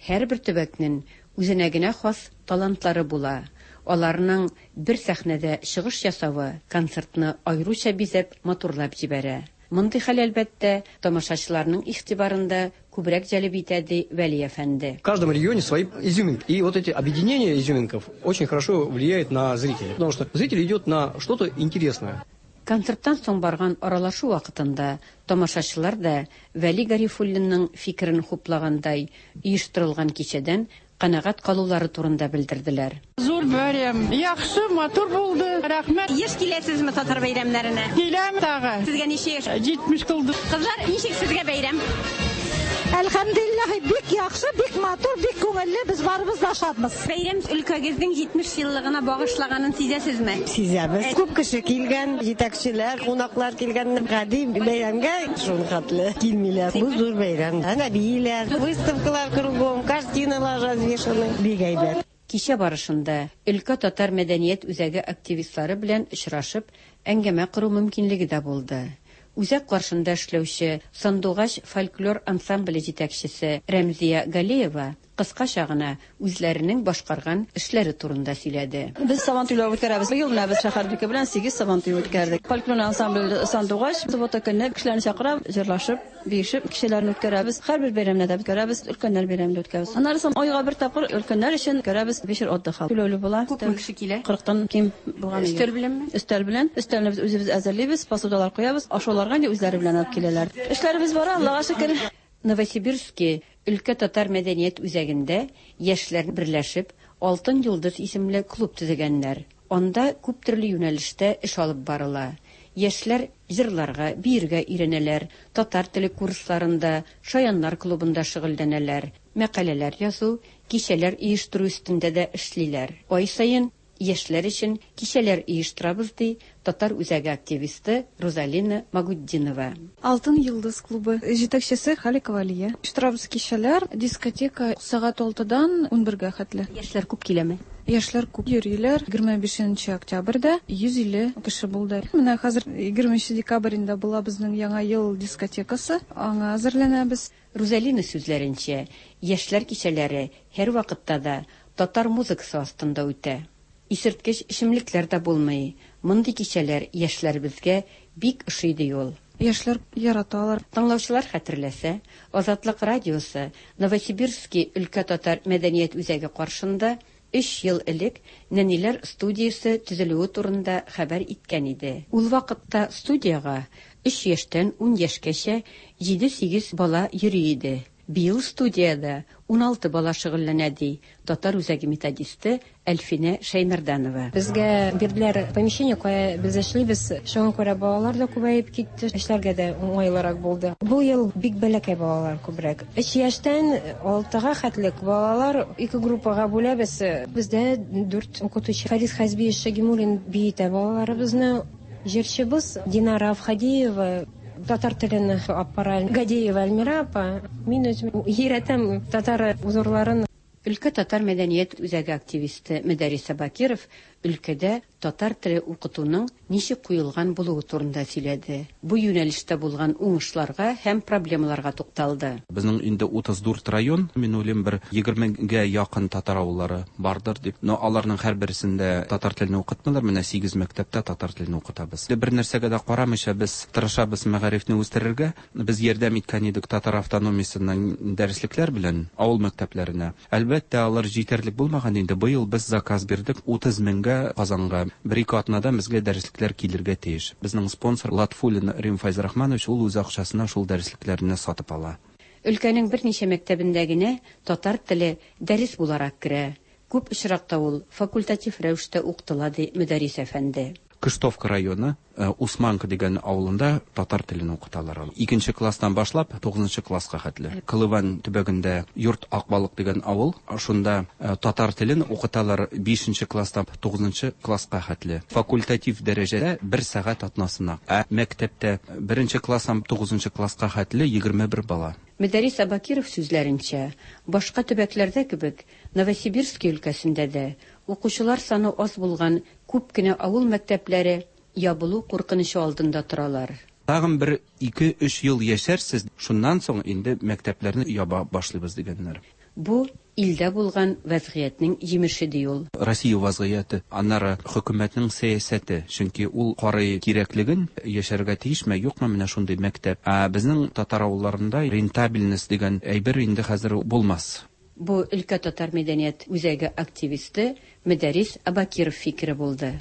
һәрбер төбәкнең үзенә генә хас талантлары була. Аларның бер сәхнәдә чыгыш ясавы концертны аеруча бизәп, матурлап җибәрә. Мондый хәл әлбәттә тамашачыларның игътибарын да күбрәк җәлеп итә, ди Вәли әфәнде. В каждом регионе свои изюминки. И вот эти объединения изюминков очень хорошо влияет на зрителя, потому что зритель идет на что-то интересное. Концерттан соң барган аралашу вакытында тамашачылар да Вәли Гарифуллинның фикерен хуплагандай оештырылган кичәдән канәгать калулары турында белдерделәр. Зур бәйрәм, яхшы, матур булды. Рәхмәт. Еш киләсезме татар бәйрәмнәренә? Киләм тагы. Сезгә ничә яшь? җитмеш тулды. Кызлар, ничек сезгә бәйрәм? Әлхәмдүлилләһ, бик яхшы, бик матур, бик күңелле, без барыбыз да шатмыз. Бәйрәм өлкәгезнең җитмеш еллыгына багышлаганын сизәсезме? Сизәбез. Күп кеше килгән, җитәкчеләр, кунаклар килгән. Гади бәйрәмгә шул хәтле килмиләр. Бу зур бәйрәм. Әнә бииләр, выставкалар кругом, картиналар развешаны. Бик әйбәт. Кичә барышында өлкә татар мәдәният үзәге активистлары белән очрашып, әңгәмә кору мөмкинлеге дә булды. Үзәк каршында эшләүче Сандугач фольклор ансамбле җитәкчесе Рәмзия Галиева кыскача гына үзләренең башкарган эшләре турында сөйләде. Без Сабантуйлар үткәрәбез. Быел менә без шәһәрнеке белән сигез Сабантуй үткәрдек. Фольклор ансамбле Сандугач суббота көнне кешеләрне чакыра, җырлашып, биешеп кешеләрне үткәрәбез. Һәрбер бәйрәмне дә үткәрәбез, өлкәннәр бәйрәмендә үткәрәбез. Аннары соң айга бер тапкыр өлкәннәр өчен үткәрәбез вечер отдыха. Түләүле була. Күпме кеше килә? кырыктан ким булган. Өстәл беләнме? Өстәл белән. Өстәлне без үзебез әзерлибез, посудалар куябыз, ашауларга инде үзләре белән алып киләләр. Эшләребез бара, Аллага шөкер. Новосибирский өлкә татар мәдәният үзәгендә яшьләр берләшеп Алтын Йолдыз исемле клуб төзегәннәр. Анда күп төрле юнәлештә эш алып барыла. Яшьләр җырларга, биергә өйрәнәләр, татар теле курсларында, шаяннар клубында шөгыльләнәләр, мәкаләләр язу, кичәләр оештыру өстендә дә эшлиләр. Ай саен яшьләр өчен кичәләр оештырабыз, ди татар үзәге активисты Рузалина Магутдинова. Алтын Йолдыз клубы җитәкчесе Халикова Алия. Оештырабыз кичәләр, дискотека сәгать алтыдан унбергә хәтле. Яшьләр күп киләме? Яшьләр күп йөриләр. егерме бишенче октябрьдә йөз илле кеше булды. Менә хәзер егерменче декабрендә була безнең яңа ел дискотекасы. Аңа әзерләнәбез. Рузалина сүзләренчә, яшьләр кичәләре һәр вакытта да татар музыкасы астында үтә. Исерткеч эчемлекләр дә булмый. Мондый кичәләр яшьләребезгә бик ошый, ди ул. Яшьләр яраталар. Тыңлаучылар хәтерләсә, Азатлык радиосы Новосибирский өлкә татар мәдәният үзәге каршында өч ел элек нәниләр студиясе төзелүе турында хәбәр иткән иде. Ул вакытта студиягә өч яшьтән ун яшькәчә җиде-сигез бала йөри иде. Быел студияда уналты бала шөгыльләнә, ди татар үзәге методисты Әлфинә Шәймәрданова. Безгә бирделәр помещение, кая без эшлибез. Шуңа күрә балалар да күбәеп китте, эшләргә дә уңайлырак булды. Бу ел бик бәләкәй балалар күбрәк. Өч яшьтән алтыга хәтлек балалар ике группага бүләбез. Бездә дүрт укытучы. Фарис Хазбиевич Шагимуллин биетә балаларыбызны. Җырчыбыз Динара Авхадиева татар телен алып бара. Гадиева Альмира апа, мин үзем өйрәтәм татар узорларын. Өлкә татар мәдәният үзәге активисты Мөдәррис Абакиров өлкәдә татар теле укытуның ничек куелган булуы турында сөйләде. Бу юнәлештә булган уңышларга һәм проблемаларга тукталды. Безнең инде утыз дүрт район, мин уйлыйм, бер егермегә якын татар авыллары бардыр дип. Но аларның һәрберсендә татар телен укытмыйлар, менә сигез мәктәптә татар телен укытабыз. Бер нәрсәгә дә карамыйча без тырышабыз мәгарифне үстерергә. Без ярдәм иткән идек татар автономиясеннән дәреслекләр белән авыл мәктәпләренә. Әлбәттә, алар җитәрлек булмаган инде. Быел без заказ бирдек утыз меңгә Казанга. Бер-ике атнадан безгә дәреслекләр килергә тиеш. Безнең спонсор Латфуллин Рим Файзрахманович, ул үз акчасына шул дәреслекләрне сатып ала. Өлкәнең берничә мәктәбендә генә татар теле дәрес буларак керә. Күп очракта ул факультатив рәвештә укытыла, ди Мөдәррис әфәнде. Кыштовка районы Усманка дигән авылында татар телен укыталар. Икенче класстан башлап тугызынчы класска хәтле. Кылыван төбәгендә Йорт Акбалык дигән авыл, шунда татар телен укыталар бишенче класстан тугызынчы класска хәтле. Факультатив дәрәҗәдә бер сәгать атнасына. Ә мәктәптә беренче класстан тугызынчы класска хәтле егерме бер бала. Мөдәррис Абакиров сүзләренчә, башка төбәкләрдә кебек Новосибирский өлкәсендә дә укучылар саны аз булган күп кенә авыл мәктәпләре ябылу куркынычы алдында торалар. Тагын бер ике-өч ел яшәрсез, шуннан соң инде мәктәпләрне яба башлыйбыз дигәннәр. Бу илдә булган вазгыятьнең җимеше ди ул. Россия вазгыяте, аннары хөкүмәтнең сәясәте, чөнки ул карый кирәклеген, яшәргә тиешме, юкмы менә шундый мәктәп. Ә безнең татар авылларында рентабельность дигән әйбер инде хәзер булмас. Бу өлкә татар мәдәният үзәге активисты Мөдәррис Абакиров фикере булды.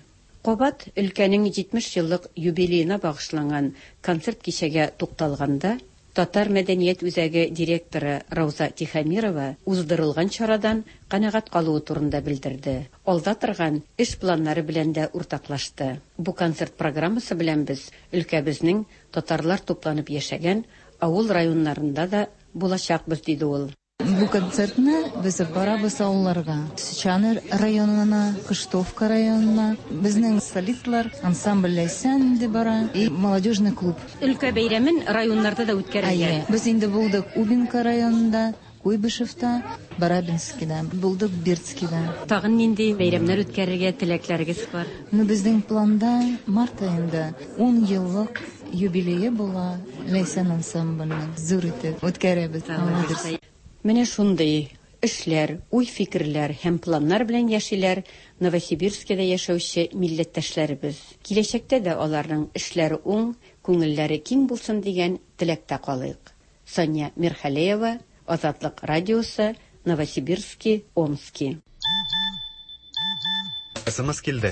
Кабат өлкәнең җитмеш еллык юбилеена багышланган концерт кичәгә тукталганда Татар мәдәният үзәге директоры Рауза Тихомирова уздырылган чарадан канәгать калуы турында белдерде. Алда торган эш планнары белән дә уртаклашты. Бу концерт программасы белән без өлкәбезнең татарлар тупланып яшәгән авыл районнарында да булачакбыз, диде ул. Бу концертны без барабыз авылларга. Сычан районына, Кыштовка районына. Безнең солистлар, ансамбль Ләйсән инде бара и молодежный клуб. Өлкә бәйрәмен районнарда да үткәрелгән. Әйе, без инде булдык Убинка районында, Куйбышевта, Барабинскида, булдык Бердскида. Тагын нинди бәйрәмнәр үткәрергә теләкләрегез бар? Ну, безнең планда март аенда ун еллык юбилее була Ләйсән ансамбльнең. Зур итеп үткәрәбез. Менә шундый эшләр, уй-фикерләр һәм планнар белән яшиләр Новосибирскида яшәүче милләттәшләребез. Киләчәктә дә аларның эшләре уң, күңелләре киң булсын дигән теләктә калыйк. Соня Мирхалеева, Азатлык радиосы, Новосибирский, Омски. СМС килде.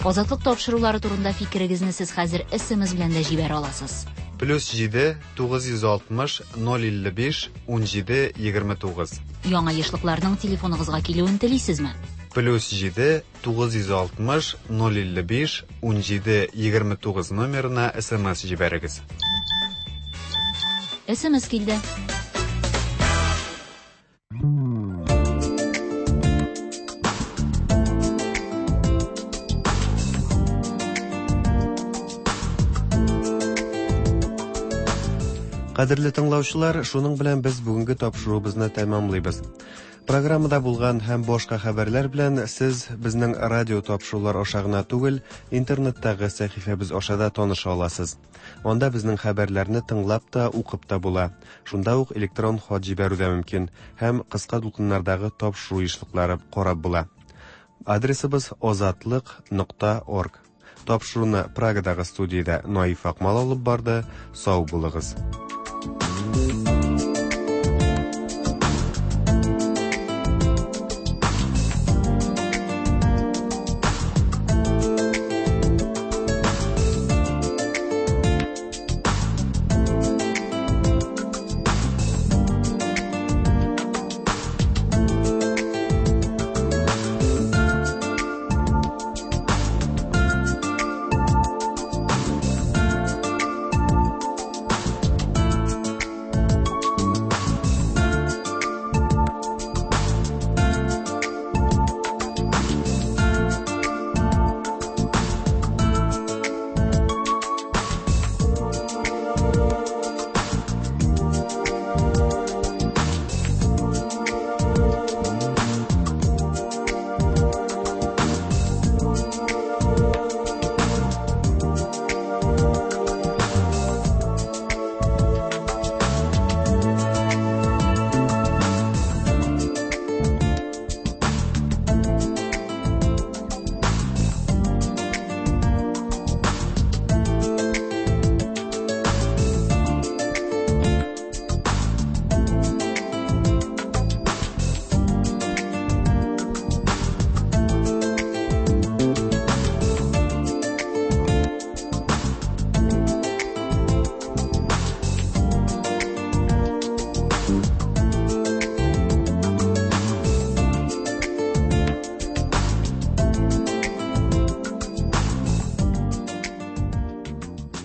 Азатлык тапшырулары турында фикерегезне сез хәзер СМС белән дә җибәрә аласыз. Плюс җиде, тугыз йөз алтмыш, ноль илле биш, ун җиде, егерме тугыз. Яңа ешлыкларның телефоныгызга килүен телисезме? Плюс җиде, тугыз йөз алтмыш, ноль илле биш, ун җиде, егерме тугыз номерына СМС җибәрегез. СМС килде. Кадерле тыңлаучылар, шуның белән без бүгенге тапшыруыбызны тәмамлыйбыз. Программада булган һәм башка хәбәрләр белән сез безнең радио тапшырулар аша гына түгел, интернеттагы сәхифәбез аша да таныша аласыз. Анда безнең хәбәрләрне тыңлап та, укып та була. Шунда ук электрон хат җибәрү дә мөмкин һәм кыска дулкыннардагы тапшыру ешлыклары карап була. Адресыбыз озатлык нокта орг. Тапшыруны Прагадагы студиядә Наиф Акмал алып барды. Сау булыгыз. Thank you.